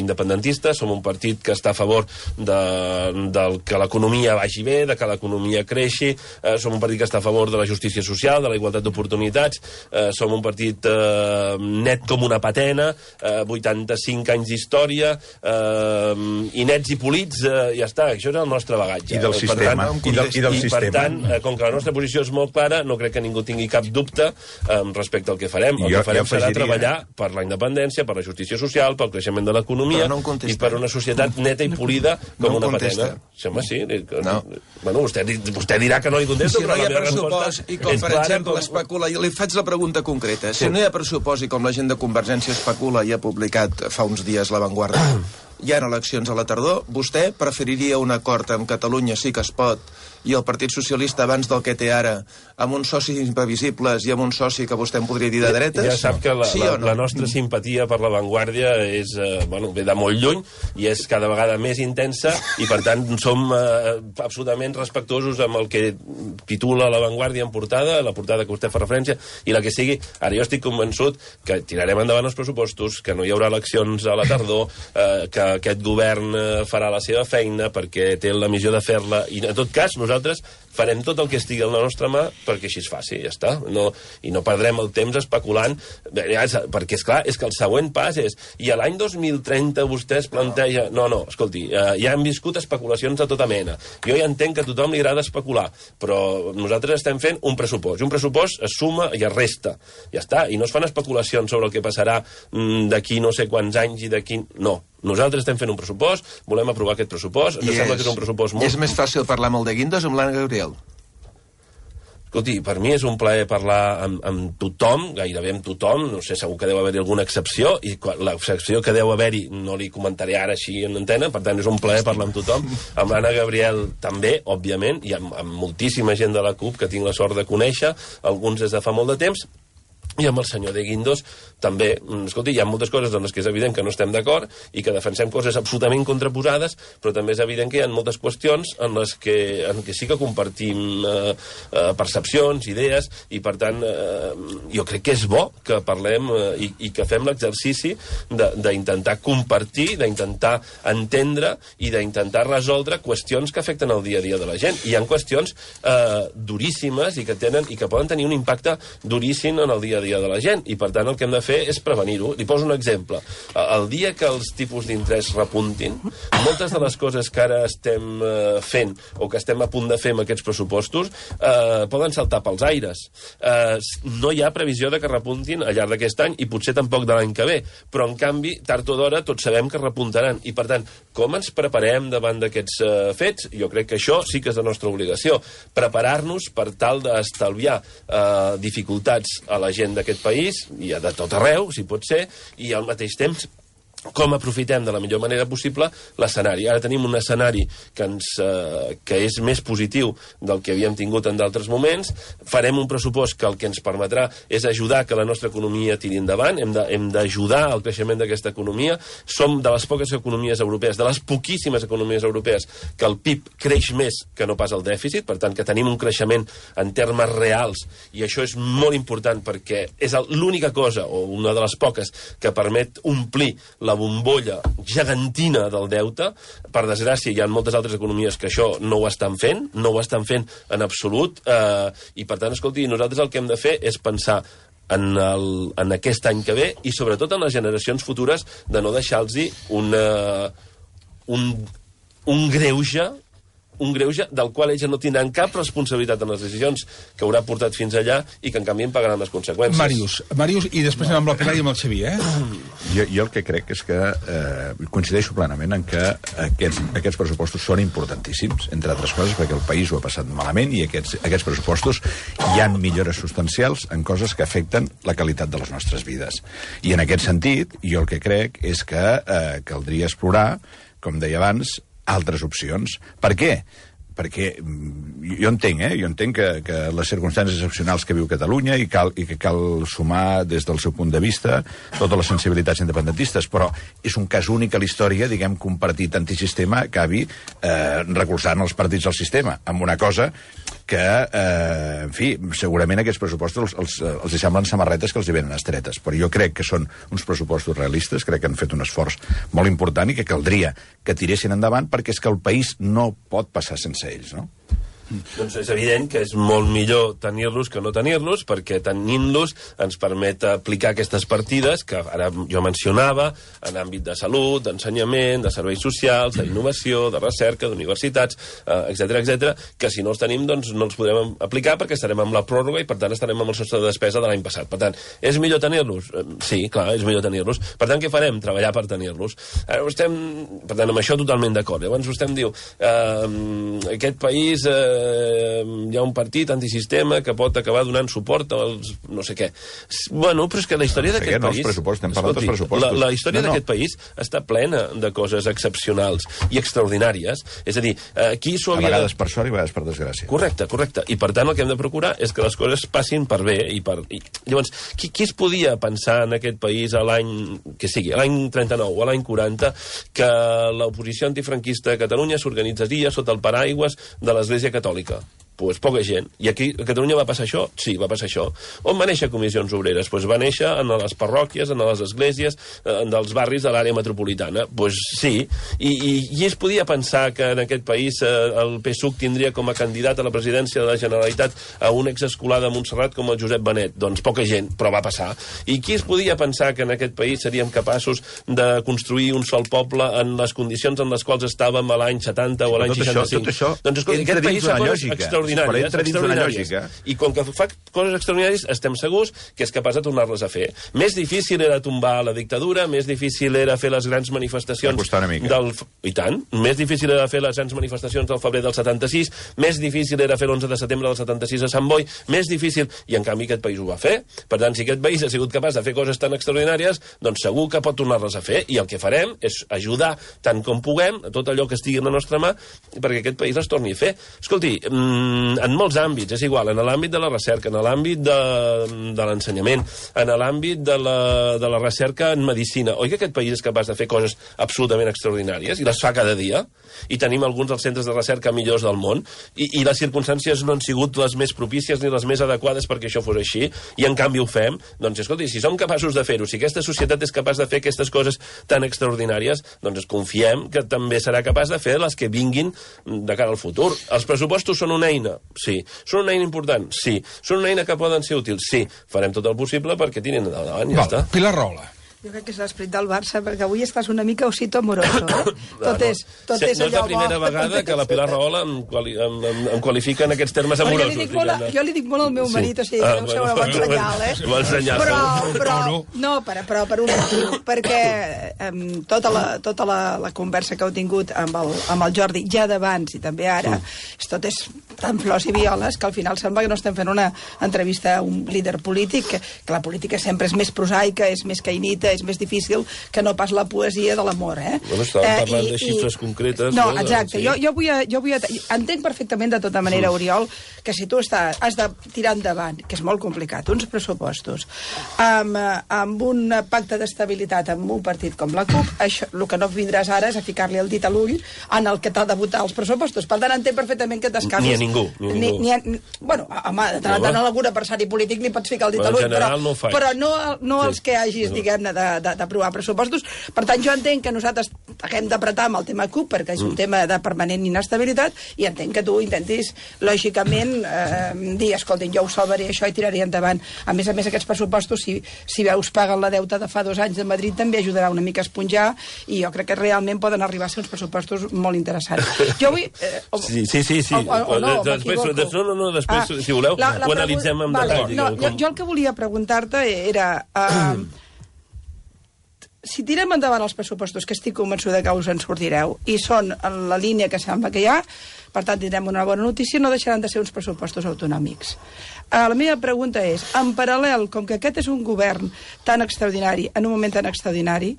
independentista, som un partit que està a favor que l'economia vagi bé, de que l'economia creixi, som un partit que està a favor de la justícia social, de la igualtat d'oportunitats, som un partit net com una patena, 85 anys d'història, i nets i polits, ja està, això és el nostre bagatge. I del sistema. I per tant, com que la nostra posició és molt clara, no crec que ningú tingui cap dubte respecte al que farem. El que farem serà treballar per la independència, per la justícia social, pel creixement de l'economia i per una societat neta i polida com una patena. Home, sí. Bueno, vostè dirà que no li contesto, però la meva resposta és clara. Per exemple, especula, jo li faig la pregunta concreta. Si no hi ha pressupost i com la gent de Convergència especula i ha publicat fa uns dies La Vanguardia, hi ha eleccions a la tardor, vostè preferiria un acord amb Catalunya sí que es pot i el Partit Socialista abans del que té ara, amb uns socis imprevisibles i amb un soci que vostè em podria dir de dretes? Ja sap que la nostra simpatia per La Vanguardia ve de molt lluny i és cada vegada més intensa i per tant som absolutament respectuosos amb el que titula La Vanguardia en portada, la portada que vostè fa referència i la que sigui. Ara jo estic convençut que tirarem endavant els pressupostos, que no hi haurà eleccions a la tardor, que aquest govern farà la seva feina perquè té la missió de fer-la i en tot cas nosaltres farem tot el que estigui a la nostra mà perquè així es faci, ja està. I no perdrem el temps especulant, perquè, esclar, és que el següent pas és i a l'any 2030 vostè es planteja... No, escolti, ja hem viscut especulacions de tota mena. Jo ja entenc que a tothom li agrada especular, però nosaltres estem fent un pressupost. I un pressupost es suma i es resta. Ja està. I no es fan especulacions sobre el que passarà d'aquí no sé quants anys i d'aquí... No. Nosaltres estem fent un pressupost, volem aprovar aquest pressupost, ens sembla que és un pressupost molt... És més fàcil parlar amb el de Guindos o amb l'Anna Gabriel? Escolti, per mi és un plaer parlar amb tothom, gairebé amb tothom, no sé, segur que deu haver-hi alguna excepció, i l'excepció que deu haver-hi no li comentaré ara així en antena, per tant és un plaer parlar amb tothom, amb l'Anna Gabriel també, òbviament, i amb moltíssima gent de la CUP que tinc la sort de conèixer, alguns des de fa molt de temps, i amb el senyor de Guindos també, escolti, hi ha moltes coses en les que és evident que no estem d'acord i que defensem coses absolutament contraposades, però també és evident que hi ha moltes qüestions en les que sí que compartim percepcions, idees, i per tant jo crec que és bo que parlem i que fem l'exercici d'intentar compartir, d'intentar entendre i d'intentar resoldre qüestions que afecten el dia a dia de la gent. Hi ha qüestions duríssimes i que poden tenir un impacte duríssim en el dia a dia de la gent, i per tant el que hem de fer és prevenir-ho. Li poso un exemple. El dia que els tipus d'interès repuntin, moltes de les coses que ara estem fent o que estem a punt de fer amb aquests pressupostos poden saltar pels aires. No hi ha previsió de que repuntin al llarg d'aquest any i potser tampoc de l'any que ve, però en canvi, tard o d'hora, tots sabem que repuntaran, i per tant, com ens preparem davant d'aquests fets? Jo crec que això sí que és la nostra obligació. Preparar-nos per tal d'estalviar dificultats a la gent d'aquest país, i de tot arreu, si pot ser, i al mateix temps com aprofitem de la millor manera possible l'escenari. Ara tenim un escenari que és més positiu del que havíem tingut en d'altres moments. Farem un pressupost que el que ens permetrà és ajudar que la nostra economia tiri endavant. Hem d'ajudar al creixement d'aquesta economia. Som de les poques economies europees, de les poquíssimes economies europees, que el PIB creix més que no pas el dèficit, per tant que tenim un creixement en termes reals, i això és molt important perquè és l'única cosa, o una de les poques, que permet omplir la bombolla gegantina del deute. Per desgràcia, hi ha moltes altres economies que això no ho estan fent en absolut, i per tant, escolti, nosaltres el que hem de fer és pensar en aquest any que ve i sobretot en les generacions futures, de no deixar-los un greuge del qual ells no tindran cap responsabilitat en les decisions que haurà portat fins allà i que en canvi en pagaran les conseqüències. Màrius, i després anem amb la Pilar i amb el Xavier, Jo el que crec és que coincideixo plenament en que aquests pressupostos són importantíssims, entre altres coses perquè el país ho ha passat malament i aquests pressupostos hi han millores substancials en coses que afecten la qualitat de les nostres vides. I en aquest sentit, jo el que crec és que caldria explorar, com deia abans, altres opcions. Per què? Perquè jo entenc que les circumstàncies excepcionals que viu Catalunya i que cal sumar des del seu punt de vista totes les sensibilitats independentistes, però és un cas únic a la història, diguem, que un partit antisistema acabi recolzant els partits del sistema, amb una cosa que, en fi, segurament aquests pressupostos els semblen samarretes que els hi venen estretes, però jo crec que són uns pressupostos realistes, crec que han fet un esforç molt important i que caldria que tiressin endavant perquè és que el país no pot passar sense ells, no? Doncs és evident que és molt millor tenir-los que no tenir-los, perquè tenint-los ens permet aplicar aquestes partides que ara jo mencionava en àmbit de salut, d'ensenyament, de serveis socials, d'innovació, de recerca, d'universitats, etc, que si no els tenim doncs no els podrem aplicar perquè estarem amb la pròrroga i per tant estarem amb el sostre de despesa de l'any passat. Per tant, és millor tenir-los? Sí, clar, és millor tenir-los. Per tant, què farem? Treballar per tenir-los. Per tant, amb això totalment d'acord. Llavors vostè em diu aquest país hi ha un partit antisistema que pot acabar donant suport als no sé què. Bueno, però és que la història d'aquest país... La història d'aquest país està plena de coses excepcionals i extraordinàries. És a dir, aquí s'ho havia... A vegades per sort i a vegades per desgràcia. Correcte. I per tant el que hem de procurar és que les coses passin per bé. Llavors, qui es podia pensar en aquest país a l'any que sigui, a l'any 39 o a l'any 40, que l'oposició antifranquista a Catalunya s'organitzaria sota el paraigües de l'Església Catòlica? Pues poca gent. I aquí a Catalunya va passar això? Sí, va passar això. On va néixer Comissions Obreres? Pues va néixer en les parròquies, en les esglésies, dels barris de l'àrea metropolitana. Pues sí. I es podia pensar que en aquest país el PSUC tindria com a candidat a la presidència de la Generalitat a un exescolar de Montserrat com el Josep Benet? Doncs poca gent, però va passar. I qui es podia pensar que en aquest país seríem capaços de construir un sol poble en les condicions en les quals estàvem a l'any 70 o a l'any 65? Tot això doncs escolta, aquest país fa coses extraordinàries. I com que fa coses extraordinàries, estem segurs que és capaç de tornar-les a fer. Més difícil era tombar la dictadura, més difícil era fer les grans manifestacions I tant. Més difícil era fer les grans manifestacions del febrer del 76, més difícil era fer l'11 de setembre del 76 a Sant Boi, més difícil, i en canvi aquest país ho va fer. Per tant, si aquest país ha sigut capaç de fer coses tan extraordinàries, doncs segur que pot tornar-les a fer, i el que farem és ajudar tant com puguem a tot allò que estigui en la nostra mà perquè aquest país les torni a fer. Escolti, en molts àmbits, és igual, en l'àmbit de la recerca, en l'àmbit de l'ensenyament, en l'àmbit de la recerca en medicina. Oi que aquest país és capaç de fer coses absolutament extraordinàries i les fa cada dia? I tenim alguns dels centres de recerca millors del món i les circumstàncies no han sigut les més propícies ni les més adequades perquè això fos així, i en canvi ho fem. Doncs escolti, si som capaços de fer-ho, si aquesta societat és capaç de fer aquestes coses tan extraordinàries, doncs confiem que també serà capaç de fer les que vinguin de cara al futur. Els pressupostos són una eina? Sí. Són una eina important? Sí. Són una eina que poden ser útils? Sí. Farem tot el possible perquè tirin endavant, ja està. Pilar Rahola. Jo crec que és l'esperit del Barça, perquè avui estàs una mica osito amoroso, Tot és no és la primera vegada que la Pilar Rahola em qualifica en aquests termes amorosos. Jo li dic molt al meu marit, o sigui, que deu ser un bon senyal, Bon senyal. Però per un motiu, perquè tota la conversa que heu tingut amb el Jordi, ja d'abans i també ara, tot és tan flors i violes que al final sembla que no estem fent una entrevista a un líder polític, que la política sempre és més prosaica, és més caïnita, és més difícil que no pas la poesia de l'amor, Bueno, estàvem parlant de xifres concretes. No, exacte. Entenc perfectament, de tota manera, Oriol, que si tu has de tirar endavant, que és molt complicat, uns pressupostos amb un pacte d'estabilitat amb un partit com la CUP, això, el que no vindràs ara és a ficar-li el dit a l'ull en el que t'ha de votar els pressupostos. Per tant, entenc perfectament que t'escases... Ni a ningú. Bueno, home, de tant en algun adversari polític li pots ficar el dit a l'ull, però no els que hagis, diguem-ne, d'aprovar pressupostos. Per tant, jo entenc que nosaltres haguem d'apretar amb el tema CUP, perquè és un tema de permanent inestabilitat, i entenc que tu intentis, lògicament, dir, escolta, jo ho salvaré això i tiraré endavant. A més, aquests pressupostos, si veus paguen la deuta de fa 2 anys de Madrid, també ajudarà una mica a esponjar, i jo crec que realment poden arribar a ser uns pressupostos molt interessants. Jo vull... Sí. Després, si voleu, ho analitzem amb detall. Jo el que volia preguntar-te era... Si tirem endavant els pressupostos, que estic convençuda que us en sortireu, i són en la línia que sembla que hi ha, per tant tindrem una bona notícia, no deixaran de ser uns pressupostos autonòmics. La meva pregunta és, en paral·lel, com que aquest és un govern tan extraordinari, en un moment tan extraordinari,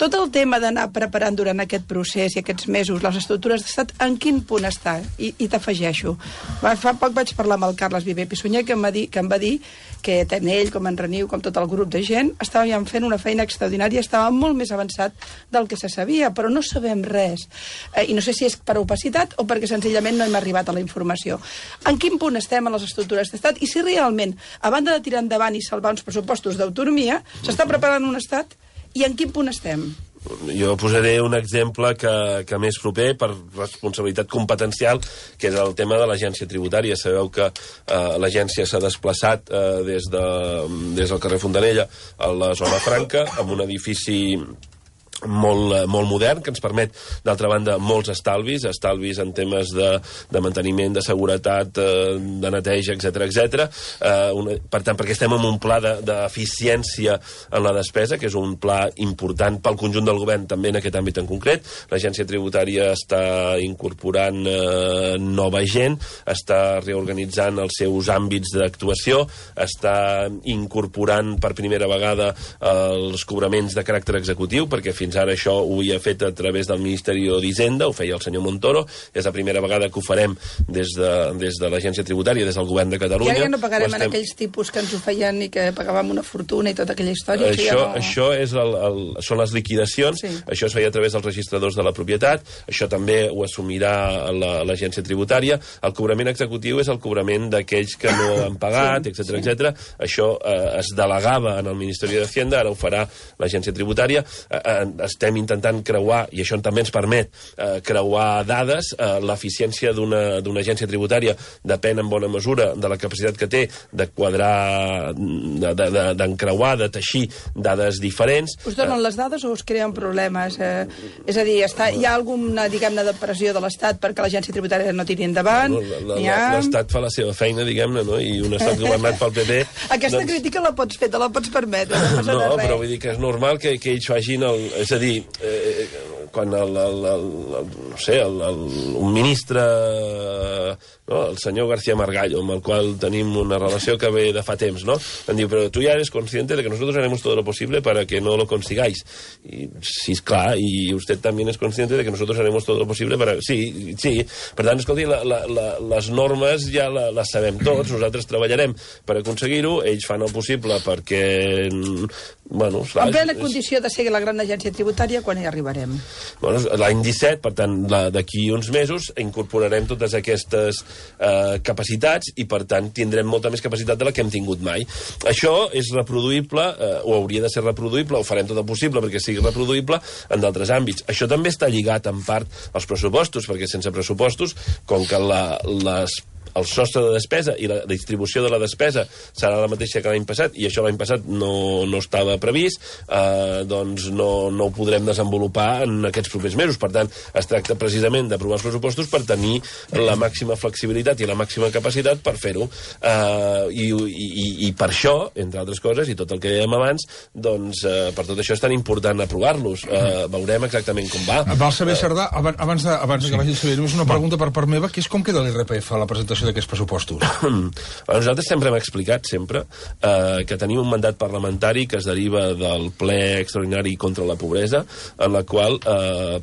tot el tema d'anar preparant durant aquest procés i aquests mesos les estructures d'estat, en quin punt està? I t'afegeixo. Fa poc vaig parlar amb el Carles Viver Pissunyer, que em va dir que tant ell com en Reniu, com tot el grup de gent, estàvem fent una feina extraordinària, estava molt més avançat del que se sabia, però no sabem res. I no sé si és per opacitat o perquè senzillament no hem arribat a la informació. En quin punt estem a les estructures d'estat? I si realment, a banda de tirar endavant i salvar uns pressupostos d'autonomia, s'està preparant un estat? I en quin punt estem? Jo posaré un exemple que més proper per responsabilitat competencial, que és el tema de l'agència tributària. Sabeu que l'agència s'ha desplaçat des del carrer Fontanella a la zona franca, amb un edifici molt modern, que ens permet, d'altra banda, molts estalvis en temes de manteniment, de seguretat, de neteja, etc. Per tant, perquè estem en un pla d'eficiència en la despesa, que és un pla important pel conjunt del govern, també en aquest àmbit en concret. L'agència tributària està incorporant nova gent, està reorganitzant els seus àmbits d'actuació, està incorporant per primera vegada els cobraments de caràcter executiu, perquè fins ara això ho havia fet a través del Ministeri d'Hisenda, ho feia el senyor Montoro, és la primera vegada que ho farem des de l'agència tributària, des del govern de Catalunya. I ara ja no pagarem en aquells tipus que ens ho feien i que pagàvem una fortuna i tota aquella història. Això són les liquidacions, això es feia a través dels registradors de la propietat, això també ho assumirà l'agència tributària. El cobrament executiu és el cobrament d'aquells que no han pagat, etc. Això es delegava en el Ministeri d'Hisenda, ara ho farà l'agència tributària. Estem intentant creuar, i això també ens permet creuar dades. L'eficiència d'una agència tributària depèn en bona mesura de la capacitat que té de quadrar, d'encreuar, de teixir dades diferents. Us donen les dades o us creen problemes? És a dir, hi ha alguna, diguem-ne, de pressió de l'Estat perquè l'agència tributària no tiri endavant? L'Estat fa la seva feina, diguem-ne, no? I un estat governat pel PP... Aquesta crítica la pots fer, te la pots permetre. No, però vull dir que és normal que ells facin és a dir, quan un ministre, el senyor García Margallo, amb el qual tenim una relació que ve de fa temps, ¿no? Em diu, però tu ya eres consciente de que nosotros haremos todo lo posible para que no lo consigáis. Y, sí, clar, y usted también es consciente de que nosotros haremos todo lo posible para... Sí. Per tant, escolti, les normes ja les sabem tots, nosaltres treballarem per aconseguir-ho, ells fan el possible perquè... Bueno, en plena condició de ser la gran agència tributària, quan hi arribarem? Bueno, l'any 17, per tant, d'aquí uns mesos, incorporarem totes aquestes capacitats i, per tant, tindrem molta més capacitat de la que hem tingut mai. Això és reproduïble, o hauria de ser reproduïble, o farem tot el possible perquè sigui reproduïble en d'altres àmbits. Això també està lligat, en part, als pressupostos, perquè sense pressupostos, com que el sostre de despesa i la distribució de la despesa serà la mateixa que l'any passat, i això l'any passat no estava previst, doncs no ho podrem desenvolupar en aquests propers mesos. Per tant, es tracta precisament d'aprovar els pressupostos per tenir la màxima flexibilitat i la màxima capacitat per fer-ho. I per això, entre altres coses, i tot el que dèiem abans, doncs per tot això és tan important aprovar-los. Veurem exactament com va. Val saber, Cerdà, abans que vagi a saber, només una pregunta per part meva, que és com queda l'IRPF a la presentació l'aprovació d'aquests pressupostos? Nosaltres sempre hem explicat, que tenim un mandat parlamentari que es deriva del ple extraordinari contra la pobresa, en la qual,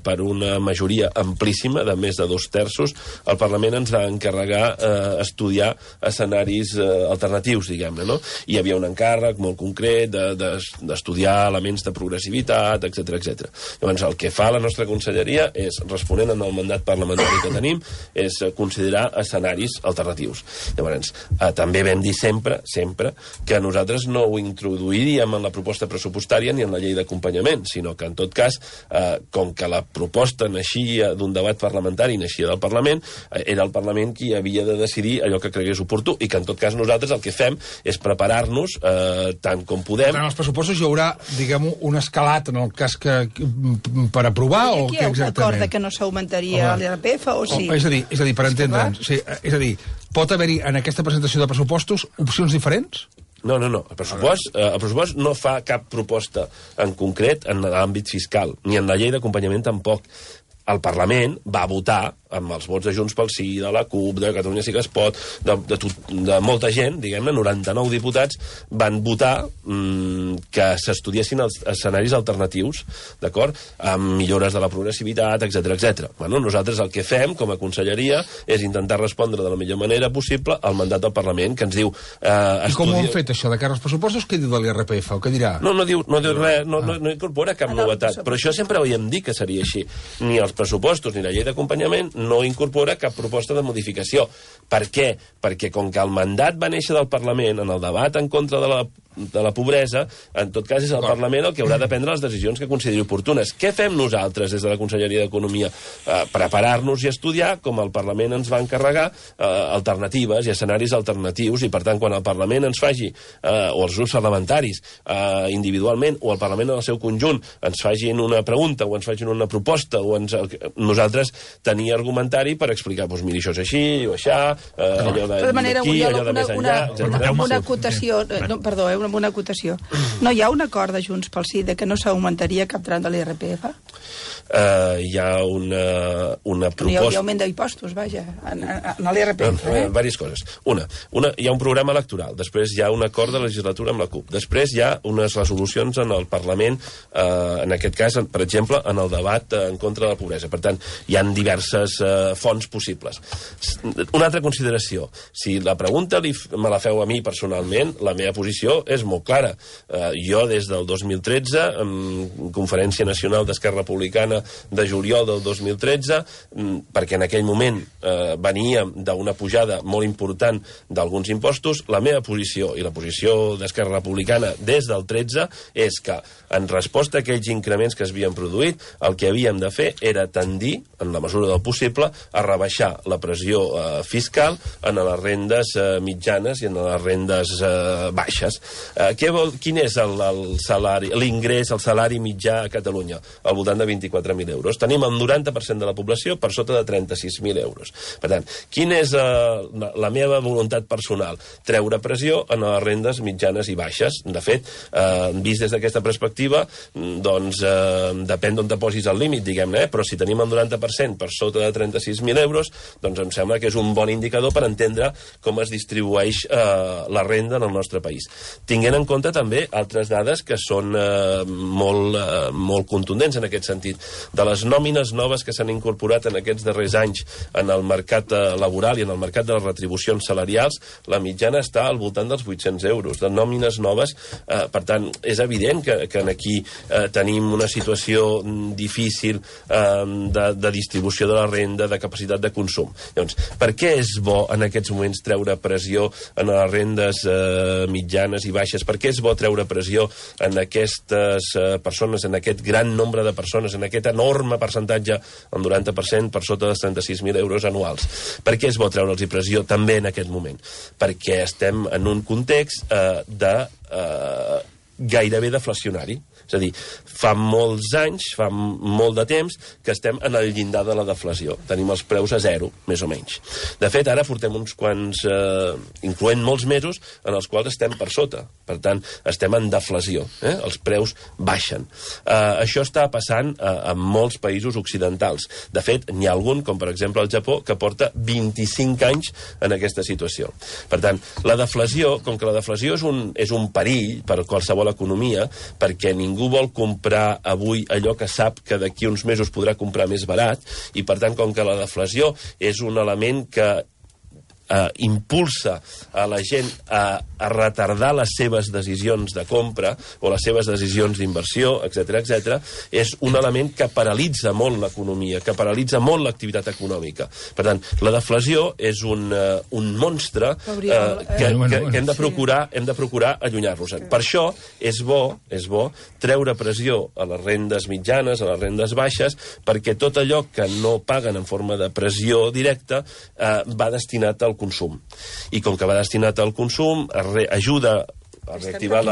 per una majoria amplíssima de més de 2/3, el Parlament ens va encarregar estudiar escenaris alternatius, diguem-ne, no? Hi havia un encàrrec molt concret d'estudiar elements de progressivitat, etc. Llavors, el que fa la nostra conselleria és, responent al mandat parlamentari que tenim, és considerar escenaris alternatius. Llavors, també vam dir sempre que nosaltres no ho introduiríem en la proposta pressupostària ni en la llei d'acompanyament, sinó que, en tot cas, com que la proposta naixia d'un debat parlamentari, naixia del Parlament, era el Parlament qui havia de decidir allò que cregués oportú, i que, en tot cas, nosaltres el que fem és preparar-nos tant com podem. En els pressupostos hi haurà, diguem-ho, un escalat, en el cas que per aprovar, o què exactament? Aquí hi ha un acord que no s'augmentaria l'IRPF, o sí? És a dir, per entendre'ns, és a dir, pot haver-hi en aquesta presentació de pressupostos opcions diferents? No. El pressupost no fa cap proposta en concret en l'àmbit fiscal, ni en la llei d'acompanyament tampoc. El Parlament va votar amb els vots de Junts pel Sí, de la CUP, de Catalunya Sí que es pot, de molta gent, diguem-ne, 99 diputats, van votar que s'estudiessin els escenaris alternatius, d'acord? Amb millores de la progressivitat, etc. Bueno, nosaltres el que fem, com a conselleria, és intentar respondre de la millor manera possible al mandat del Parlament, que ens diu... I com ho han fet, això, de cara als pressupostos? Què diu de l'IRPF, o què dirà? No diu res, no incorpora cap novetat, però això sempre ho havíem dit que seria així. Ni els pressupostos ni la llei d'acompanyament no incorpora cap proposta de modificació. Per què? Perquè com que el mandat va néixer del Parlament en el debat en contra de la pobresa, en tot cas és el Parlament el que haurà de prendre les decisions que consideri oportunes. Què fem nosaltres des de la Conselleria d'Economia? Preparar-nos i estudiar, com el Parlament ens va encarregar, alternatives i escenaris alternatius, i per tant, quan el Parlament ens faci, o els grups parlamentaris individualment, o el Parlament en el seu conjunt ens facin una pregunta, o ens facin una proposta, o nosaltres tenir argumentari per explicar, doncs mira, això és així, o això, allò d'aquí, allò de més enllà, etc. Una acotació, una acotació. No hi ha un acord de Junts pel Sí de que no s'augmentaria cap tram de l'IRPF? Hi ha una proposta... Hi ha augment d'impostos, vaja, en l'IRPF. Vàries coses. Hi ha un programa electoral, després hi ha un acord de legislatura amb la CUP, després hi ha unes resolucions en el Parlament, en aquest cas, per exemple, en el debat en contra de la pobresa. Per tant, hi ha diverses fonts possibles. Una altra consideració. Si la pregunta me la feu a mi personalment, la meva posició és molt clara. Jo, des del 2013, en Conferència Nacional d'Esquerra Republicana de juliol del 2013, perquè en aquell moment veníem d'una pujada molt important d'alguns impostos, la meva posició i la posició d'Esquerra Republicana des del 13 és que, en resposta a aquells increments que es havien produït, el que havíem de fer era tendir, en la mesura del possible, a rebaixar la pressió fiscal en les rendes mitjanes i en les rendes baixes. Quin és l'ingrés, el salari mitjà a Catalunya? Al voltant de 24.000 euros. Tenim el 90% de la població per sota de 36.000 euros. Per tant, quina és la meva voluntat personal? Treure pressió en les rendes mitjanes i baixes. De fet, vist des d'aquesta perspectiva, doncs depèn d'on te posis el límit, diguem-ne, però si tenim el 90% per sota de 36.000 euros, doncs em sembla que és un bon indicador per entendre com es distribueix la renda en el nostre país. Tinguent en compte també altres dades que són molt contundents en aquest sentit. De les nòmines noves que s'han incorporat en aquests darrers anys en el mercat laboral i en el mercat de les retribucions salarials, la mitjana està al voltant dels 800 euros. De nòmines noves, per tant, és evident que aquí tenim una situació difícil de distribució de la renda, de capacitat de consum. Llavors, per què és bo en aquests moments treure pressió en les rendes mitjanes i baixes? Per què és bo treure pressió en aquestes persones, en aquest gran nombre de persones, en aquest enorme percentatge, el 90% per sota dels 36.000 euros anuals? Per què és bo treure'ls pressió també en aquest moment? Perquè estem en un context de gairebé deflacionari. És a dir, fa molts anys, fa molt de temps, que estem en el llindar de la deflació. Tenim els preus a zero, més o menys. De fet, ara portem uns quants, incloent molts mesos, en els quals estem per sota. Per tant, estem en deflació. Els preus baixen. Això està passant a molts països occidentals. De fet, n'hi ha algun, com per exemple el Japó, que porta 25 anys en aquesta situació. Per tant, la deflació, com que la deflació és un perill per qualsevol economia, perquè ningú vol comprar avui allò que sap que d'aquí uns mesos podrà comprar més barat, i per tant, com que la deflació és un element que impulsa a la gent a retardar les seves decisions de compra o les seves decisions d'inversió, etc., és un element que paralitza molt l'economia, que paralitza molt l'activitat econòmica. Per tant, la deflació és un monstre que hem de procurar allunyar-nos-en. Per això és bo treure pressió a les rendes mitjanes, a les rendes baixes, perquè tot allò que no paguen en forma de pressió directa va destinat al consum. I com que va destinat al consum, ajuda a reactivar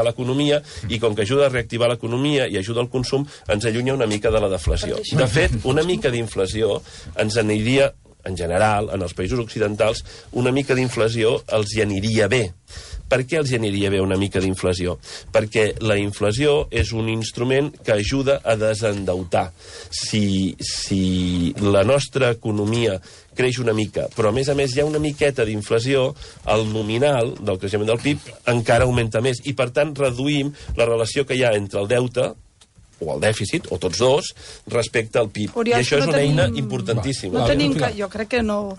l'economia, i com que ajuda a reactivar l'economia i ajuda al consum, ens allunya una mica de la deflació. De fet, una mica d'inflació ens aniria, en general, en els països occidentals, una mica d'inflació els hi aniria bé. Per què els aniria bé una mica d'inflació? Perquè la inflació és un instrument que ajuda a desendeutar. Si la nostra economia creix una mica, però a més hi ha una miqueta d'inflació, el nominal del creixement del PIB encara augmenta més, i per tant reduïm la relació que hi ha entre el deute o el dèficit, o tots dos, respecte al PIB. I això és una eina importantíssima. Jo crec que no...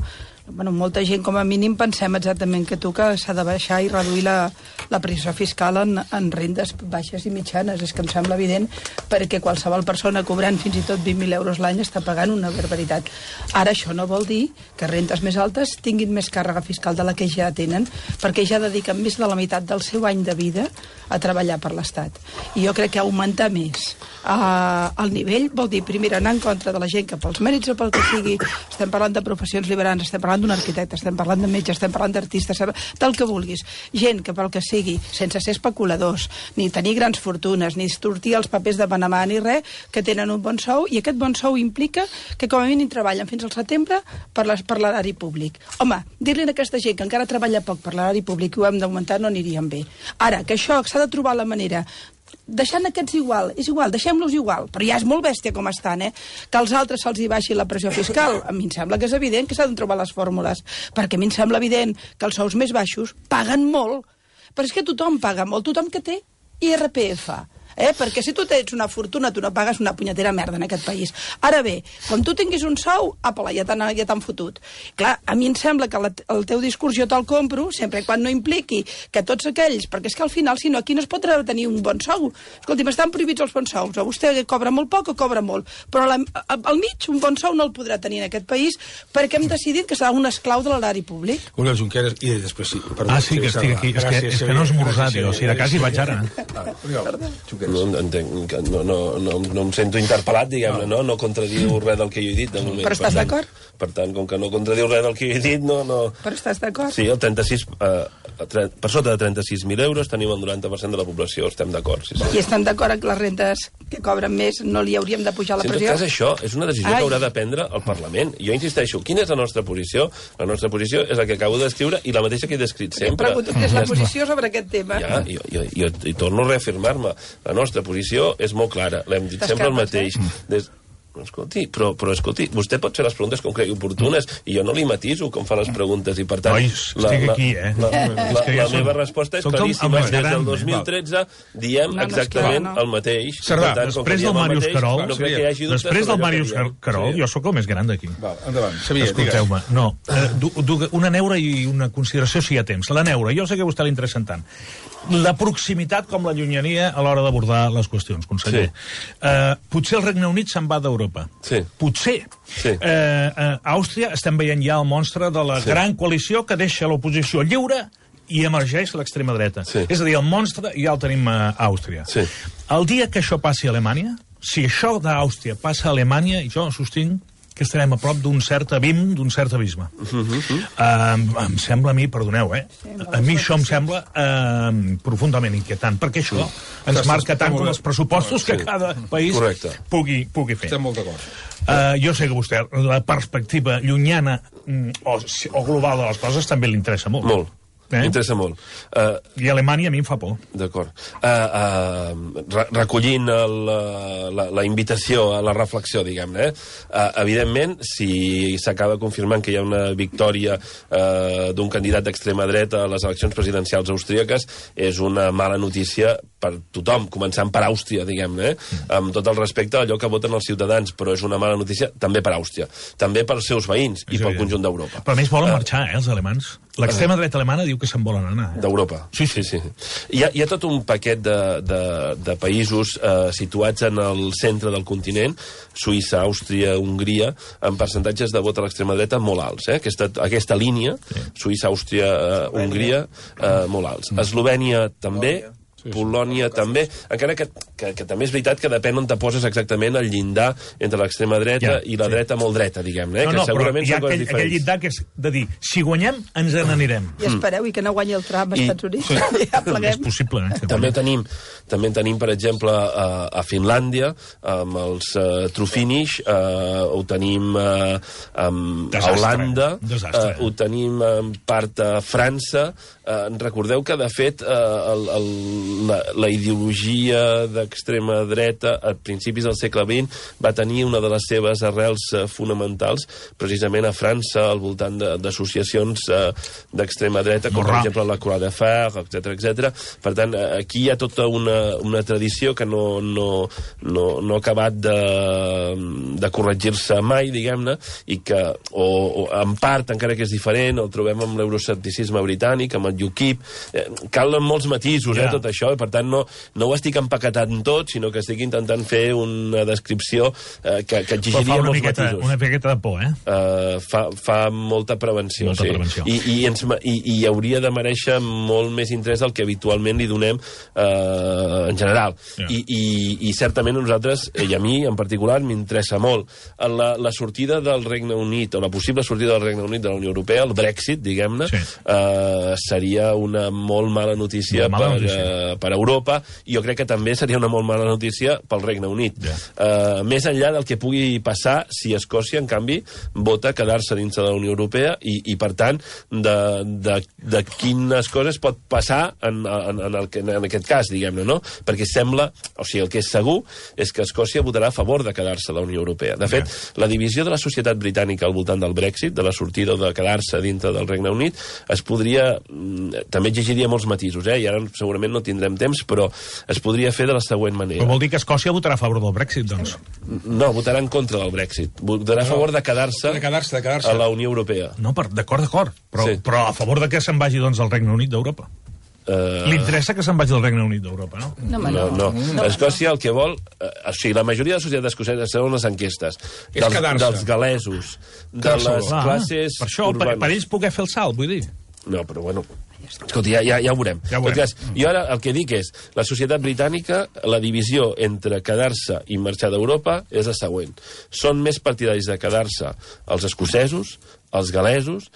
Bueno, molta gent, com a mínim, pensem exactament que tu, que s'ha de baixar i reduir la pressió fiscal en rendes baixes i mitjanes. És que em sembla evident, perquè qualsevol persona cobrant fins i tot 20.000 euros l'any està pagant una barbaritat. Ara, això no vol dir que rentes més altes tinguin més càrrega fiscal de la que ja tenen, perquè ja dediquen més de la meitat del seu any de vida a treballar per l'Estat. I jo crec que augmentar més el nivell vol dir, primer, anar en contra de la gent que pels mèrits o pel que sigui, estem parlant de professions liberals, estem parlant d'un arquitecte, estem parlant de metge, estem parlant d'artistes, del que vulguis. Gent que pel que sigui, sense ser especuladors, ni tenir grans fortunes, ni sortir els papers de Panamà, ni res, que tenen un bon sou, i aquest bon sou implica que com a mínim treballen fins al setembre per l'erari públic. Home, dir-li a aquesta gent que encara treballa poc per l'erari públic i ho hem d'augmentar no aniríem bé. Ara, que això s'ha de trobar la manera deixant aquests igual, és igual, deixem-los igual, però ja és molt bèstia com estan, que als altres se'ls hi baixi la pressió fiscal. A mi em sembla que és evident que s'han de trobar les fórmules, perquè a mi em sembla evident que els sous més baixos paguen molt, però és que tothom paga molt, tothom que té IRPF. Perquè si tu tens una fortuna, tu no pagues una punyetera merda en aquest país. Ara bé, quan tu tinguis un sou, apa, ja t'han fotut. Clar, a mi em sembla que el teu discurs jo te'l compro, sempre quan no impliqui que tots aquells, perquè és que al final, si no, aquí no es pot tenir un bon sou. Escolti'm, estan prohibits els bons sous, o vostè cobra molt poc o cobra molt, però al mig un bon sou no el podrà tenir en aquest país perquè hem decidit que serà un esclau de l'erari públic. Oriol Junqueras, i després sí. Sí, que estic aquí. És que no és esmorzat, jo. Si de cas hi vaig ara. No entenc, no em sento interpel·lat, diguem-ne, no contradiu res del que jo he dit de moment. Però estàs d'acord? Per tant, com que no contradiu res del que jo he dit, no... Però estàs d'acord? Sí, el 36... per sota de 36.000 euros tenim el 90% de la població, estem d'acord. Sí. I estem d'acord que les rentes que cobren més no li hauríem de pujar la pressió? En tot cas, això és una decisió que haurà de prendre el Parlament. Jo insisteixo, quina és la nostra posició? La nostra posició és la que acabo d'escriure i la mateixa que he descrit sempre. Em pregunto quina és la posició sobre aquest tema. Ja, jo torno a reafirmar-me. La nostra posició és molt clara, l'hem dit sempre el mateix. Escolti, però escolti, vostè pot fer les preguntes com cregui oportunes i jo no li matiso com fa les preguntes i per tant estic aquí, la meva resposta és claríssima. Des del 2013 diem exactament el mateix. Cerdà, després del Màrius Carol jo sóc el més gran d'aquí. Escolteu-me, no, una neura i una consideració si hi ha temps. La neura, jo sé que a vostè l'interessa tant. La proximitat com la llunyania a l'hora d'abordar les qüestions, conseller. Potser el Regne Unit se'n va d'Europa. Potser. A Àustria estem veient ja el monstre de la gran coalició que deixa l'oposició lliure i emergeix l'extrema dreta. És a dir, el monstre ja el tenim a Àustria. El dia que això passi a Alemanya, si això d'Àustria passa a Alemanya, jo sostinc que estarem a prop d'un cert abim, d'un cert abisme. Em sembla a mi, perdoneu, a mi això em sembla profundament inquietant, perquè això ens marca tant com els pressupostos que cada país pugui fer. Estem molt d'acord. Jo sé que vostè, la perspectiva llunyana o global de les coses també li interessa molt. Molt. M'interessa molt. I Alemanya a mi em fa por. D'acord. Recollint la invitació a la reflexió, diguem-ne, evidentment, si s'acaba confirmant que hi ha una victòria d'un candidat d'extrema dreta a les eleccions presidencials austríaques, és una mala notícia per tothom, començant per Àustria, diguem-ne, amb tot el respecte a allò que voten els ciutadans, però és una mala notícia també per Àustria, també pels seus veïns i pel conjunt d'Europa. Però a més volen marxar, els alemans. L'extrema dreta alemana diu que se'n volen anar. D'Europa. Sí. Hi ha tot un paquet de països situats en el centre del continent, Suïssa, Àustria, Hongria, amb percentatges de vot a l'extrema dreta molt alts. Aquesta línia, Suïssa, Àustria, Hongria, molt alts. Eslovènia també, Polònia també, encara que també és veritat que depèn on te poses exactament el llindar entre l'extrema dreta i la dreta molt dreta, diguem-ne, que segurament són coses diferents. Aquell llindar que és de dir, si guanyem, ens n'anirem. I espereu, i que no guanyi el Trump als Estats Units. Ja pleguem. És possible, També tenim, per exemple, a Finlàndia, amb els Trufinish, ho tenim a Holanda, ho tenim en part a França. Recordeu que, de fet, la ideologia d'extrema dreta a principis del segle XX va tenir una de les seves arrels fonamentals precisament a França, al voltant d'associacions d'extrema dreta, com per exemple la Croix de Fer, etc. Per tant, aquí hi ha tota una tradició que no ha acabat de corregir-se mai, diguem-ne, i que, o en part, encara que és diferent, el trobem amb l'euroscepticisme britànic, amb el UKIP. Calen molts matisos, tot això, i per tant no ho estic empaquetant tot, sinó que estic intentant fer una descripció que exigiria molts matisos. Una miqueta de por, Fa molta prevenció, i hauria de mereixer molt més interès del que habitualment li donem en general. I certament a nosaltres, i a mi en particular, m'interessa molt. La sortida del Regne Unit, o la possible sortida del Regne Unit de la Unió Europea, el Brexit, diguem-ne, seria una molt mala notícia per Europa, i jo crec que també seria una molt mala notícia pel Regne Unit. Més enllà del que pugui passar si Escòcia, en canvi, vota quedar-se dins de la Unió Europea i per tant, de quines coses pot passar en aquest cas, diguem-ne, no? Perquè sembla, o sigui, el que és segur és que Escòcia votarà a favor de quedar-se a la Unió Europea. De fet, la divisió de la societat britànica al voltant del Brexit, de la sortida o de quedar-se dintre del Regne Unit, es podria, també exigiria molts matisos, i ara segurament no tindrem temps, però es podria fer de la següent manera. Però vol dir que Escòcia votarà a favor del Brexit, doncs? No, votarà en contra del Brexit. Votarà a favor de quedar-se a la Unió Europea. No, d'acord, però a favor de que se'n vagi, doncs, al Regne Unit d'Europa. Li interessa que se'n vagi del Regne Unit d'Europa, no? No. Escòcia el que vol... O sigui, la majoria de la societat escocesa, segons les enquestes, dels galesos, de les classes urbanes... Per ells poder fer el salt, vull dir. No, però bueno... Escolta, ja ho veurem. Jo ara el que dic és, la societat britànica, la divisió entre quedar-se i marxar d'Europa és la següent. Són més partidaris de quedar-se els escocesos, els galesos,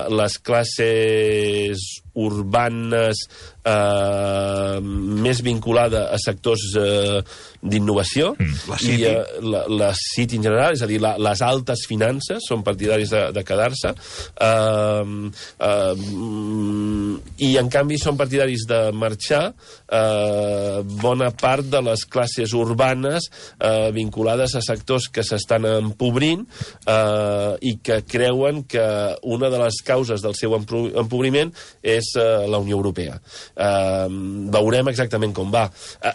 les classes urbanes més vinculada a sectors d'innovació, i la City en general, és a dir, les altes finances són partidaris de quedar-se, i en canvi són partidaris de marxar bona part de les classes urbanes vinculades a sectors que s'estan empobrint i que creuen que una de les causes del seu empobriment és la Unió Europea. Veurem exactament com va.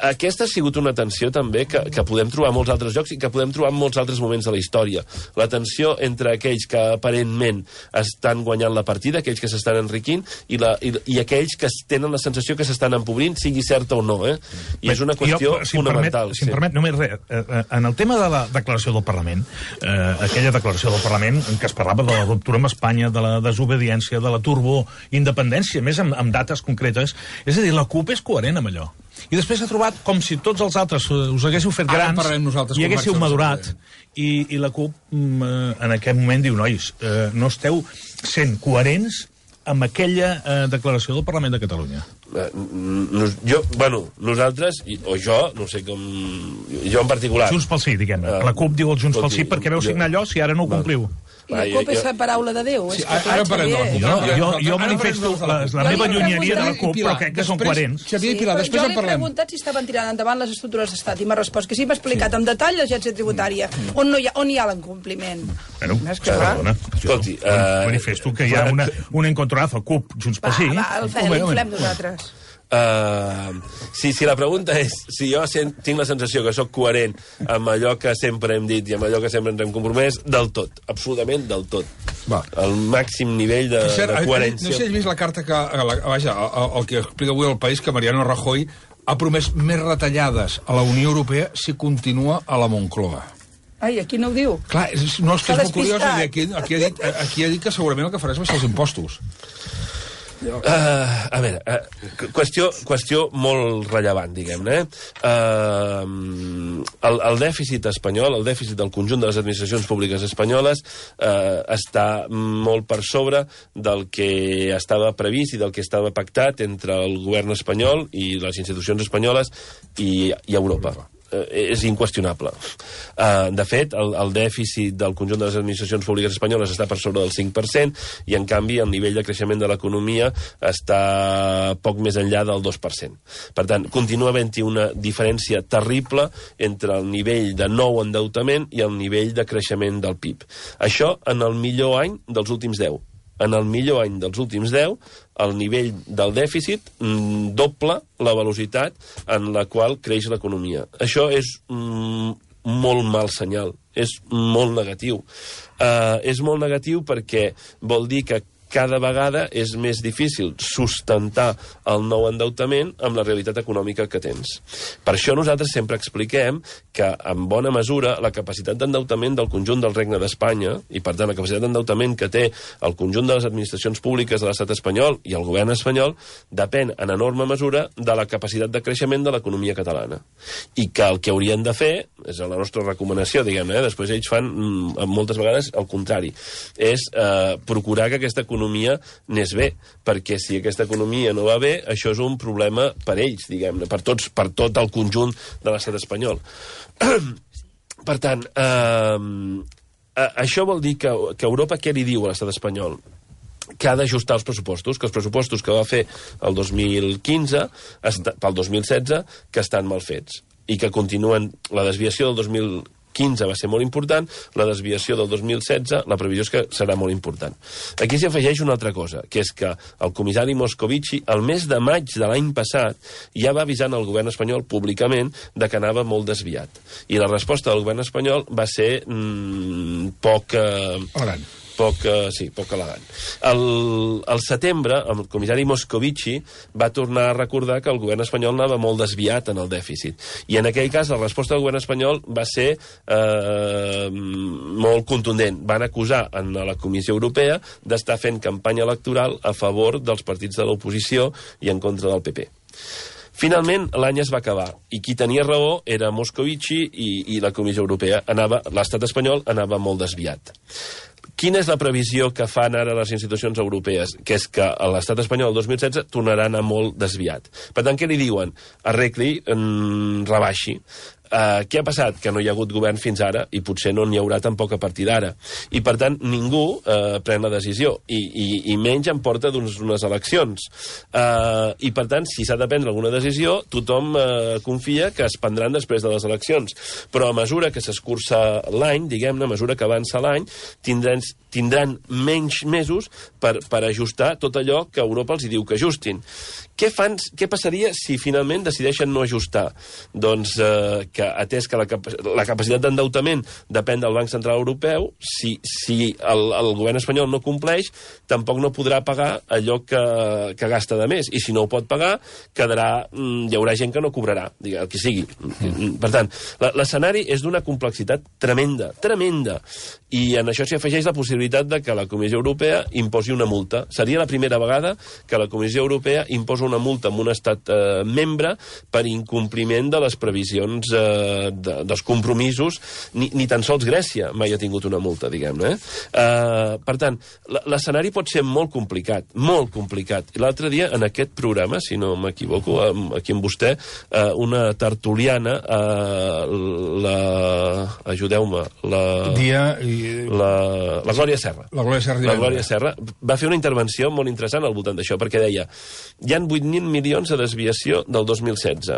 Aquesta ha sigut una tensió també que podem trobar a molts altres llocs i que podem trobar en molts altres moments de la història. La tensió entre aquells que aparentment estan guanyant la partida, aquells que s'estan enriquint, i aquells que tenen la sensació que s'estan empobrint, sigui certa o no. I és una qüestió fonamental. Si em permet, només res. En el tema de la declaració del Parlament, aquella declaració del Parlament en què es parlava de la ruptura amb Espanya, de la desobediència, de la turboindependència, més amb dates concretes. És a dir, la CUP és coherent amb allò. I després ha trobat com si tots els altres us haguéssiu fet grans i haguéssiu madurat. I la CUP en aquest moment diu, nois, no esteu sent coherents amb aquella declaració del Parlament de Catalunya. Nosaltres, o jo, no sé com... Jo en particular... Junts pel Sí, diguem-ne. La CUP diu el Junts pel Sí perquè veu signar allò si ara no ho compliu. I la CUP és la paraula de Déu. Jo manifesto la meva llunyeria de la CUP, però crec que són coherents. Xavier i Pilar, després en parlem. Jo li he preguntat si estaven tirant endavant les estructures d'estat i m'ha respost que sí, m'ha explicat en detall l'agència tributària, on hi ha l'incompliment. Escolti, manifesto que hi ha un encontronazo CUP, Junts pel Sí. L'inflem nosaltres. Si la pregunta és si jo tinc la sensació que sóc coherent amb allò que sempre hem dit i amb allò que sempre ens hem compromès, del tot, absolutament del tot. El màxim nivell de coherència. No sé si has vist la carta que... Vaja, el que explica avui el País, que Mariano Rajoy ha promès més retallades a la Unió Europea si continua a la Moncloa. Ai, aquí no ho diu. Clar, no, és que és molt curiós. Aquí ha dit que segurament el que farà és baixar els impostos. A veure, qüestió molt rellevant, diguem-ne. El dèficit espanyol, el dèficit del conjunt de les administracions públiques espanyoles està molt per sobre del que estava previst i del que estava pactat entre el govern espanyol i les institucions espanyoles i Europa. És inqüestionable. De fet, el dèficit del conjunt de les administracions públiques espanyoles està per sobre del 5% i, en canvi, el nivell de creixement de l'economia està poc més enllà del 2%. Per tant, continua havent-hi una diferència terrible entre el nivell de nou endeutament i el nivell de creixement del PIB. Això en el millor any dels últims 10. En el millor any dels últims 10, el nivell del dèficit doble la velocitat en la qual creix l'economia. Això és molt mal senyal, és molt negatiu. És molt negatiu perquè vol dir que cada vegada és més difícil sustentar el nou endeutament amb la realitat econòmica que tens. Per això nosaltres sempre expliquem que, en bona mesura, la capacitat d'endeutament del conjunt del Regne d'Espanya, i per tant la capacitat d'endeutament que té el conjunt de les administracions públiques de l'estat espanyol i el govern espanyol, depèn en enorme mesura de la capacitat de creixement de l'economia catalana. I que el que haurien de fer, és la nostra recomanació, diguem-ne, després ells fan moltes vegades el contrari, és procurar que aquesta economia n'és bé, perquè si aquesta economia no va bé, això és un problema per ells, diguem-ne, per tot el conjunt de l'estat espanyol. Per tant, això vol dir que Europa què li diu a l'estat espanyol? Que ha d'ajustar els pressupostos, que els pressupostos que va fer el 2015, pel 2016, que estan mal fets, i que continuen la desviació del 2015 va ser molt important, la desviació del 2016, la previsió és que serà molt important. Aquí s'hi afegeix una altra cosa, que és que el comissari Moscovici, el mes de maig de l'any passat, ja va avisant el govern espanyol públicament de que anava molt desviat. I la resposta del govern espanyol va ser poc elegant. Al setembre, el comissari Moscovici va tornar a recordar que el govern espanyol anava molt desviat en el dèficit. I en aquell cas, la resposta del govern espanyol va ser molt contundent. Van acusar a la Comissió Europea d'estar fent campanya electoral a favor dels partits de l'oposició i en contra del PP. Finalment, l'any es va acabar, i qui tenia raó era Moscovici i la Comissió Europea. L'estat espanyol anava molt desviat. Quina és la previsió que fan ara les institucions europees? Que és que l'estat espanyol el 2016 tornarà a anar molt desviat. Per tant, què li diuen? Arregli, rebaixi. Què ha passat? Que no hi ha hagut govern fins ara i potser no n'hi haurà tampoc a partir d'ara. I, per tant, ningú pren la decisió. I menys en porta d'unes eleccions. I, per tant, si s'ha de prendre alguna decisió, tothom confia que es prendran després de les eleccions. Però a mesura que s'escurça l'any, diguem-ne, a mesura que avança l'any, tindran menys mesos per ajustar tot allò que Europa els diu que ajustin. Què passaria si finalment decideixen no ajustar? Doncs que atès que la capacitat d'endeutament depèn del Banc Central Europeu, si el govern espanyol no compleix, tampoc no podrà pagar allò que gasta de més. I si no ho pot pagar, hi haurà gent que no cobrarà, el que sigui. Per tant, l'escenari és d'una complexitat tremenda, tremenda. I en això s'hi afegeix la possibilitat de que la Comissió Europea imposi una multa. Seria la primera vegada que la Comissió Europea imposa una multa a un estat membre per incompliment de les previsions dels compromisos. Ni tan sols Grècia mai ha tingut una multa, diguem-ne. Per tant, l'escenari pot ser molt complicat, molt complicat. I l'altre dia, en aquest programa, si no m'equivoco, aquí amb vostè, una tertuliana, ajudeu-me, la Glòria Serra. La Glòria Serra va fer una intervenció molt interessant al voltant d'això, perquè deia, hi ha 8.000 milions de desviació del 2016,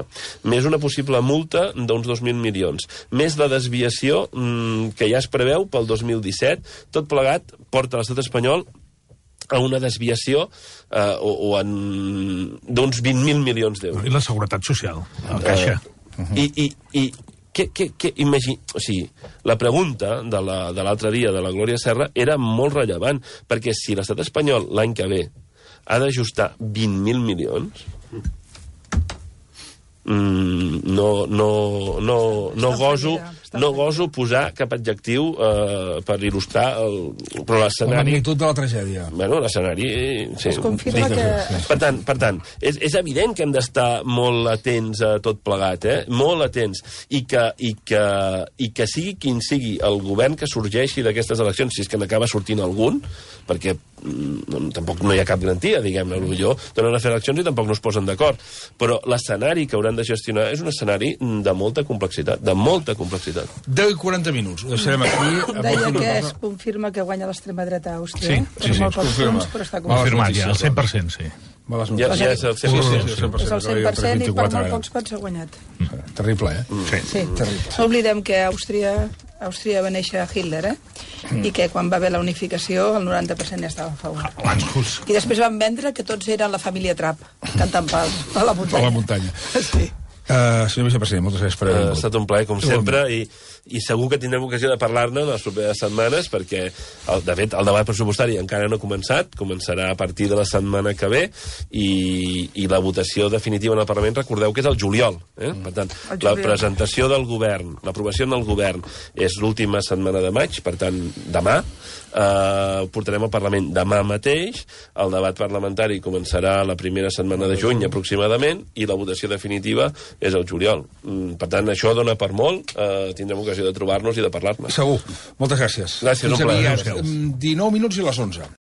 més una possible multa d'uns 2.000 milions, més la desviació que ja es preveu pel 2017, tot plegat porta l'estat espanyol a una desviació d'uns 20.000 milions d'euros. I la seguretat social, la caixa. O sigui, la pregunta de l'altre dia de la Glòria Serra era molt rellevant, perquè si l'estat espanyol l'any que ve ha d'ajustar 20.000 milions, no goso posar cap adjectiu per il·lustrar però l'escenari... La magnitud de la tragèdia. Bueno, l'escenari... Sí. Es confirma que... Per tant, és evident que hem d'estar molt atents a tot plegat, molt atents, i que sigui quin sigui el govern que sorgeixi d'aquestes eleccions, si és que n'acaba sortint algun, perquè tampoc no hi ha cap garantia, diguem-ne, potser donen a fer eleccions i tampoc no es posen d'acord, però l'escenari que hauran de gestionar és un escenari de molta complexitat, 10 i 40 minuts, ho deixarem aquí. Deia que es confirma que guanya l'extrema dreta a Àustria. Sí, molt pocs punts, però està confirmat ja, al 100%, sí. Ja és el 100%. És el 100% i per molt pocs quants s'ha guanyat. Terrible, Sí. No oblidem que a Àustria va néixer Hitler, i que quan va haver la unificació el 90% ja estava a favor. I després van vendre que tots eren la família Trapp, cantant a la muntanya. A la muntanya. Sí. Senyor vicepresident, moltes gràcies per haver vingut. Ha estat un plaer, com sempre, i segur que tindrem ocasió de parlar-ne en les properes setmanes, perquè, de fet, el debat pressupostari encara no ha començat, començarà a partir de la setmana que ve, i la votació definitiva en el Parlament, recordeu que és el juliol. Per tant, la presentació del govern, l'aprovació en el govern, és l'última setmana de maig, per tant, demà, portarem al Parlament demà mateix, el debat parlamentari començarà la primera setmana de juny aproximadament, i la votació definitiva és el juliol. Per tant, això dona per molt, tindrem ocasió de trobar-nos i de parlar-ne. Segur. Moltes gràcies. Gràcies, un plaer. 19 minuts i les 11.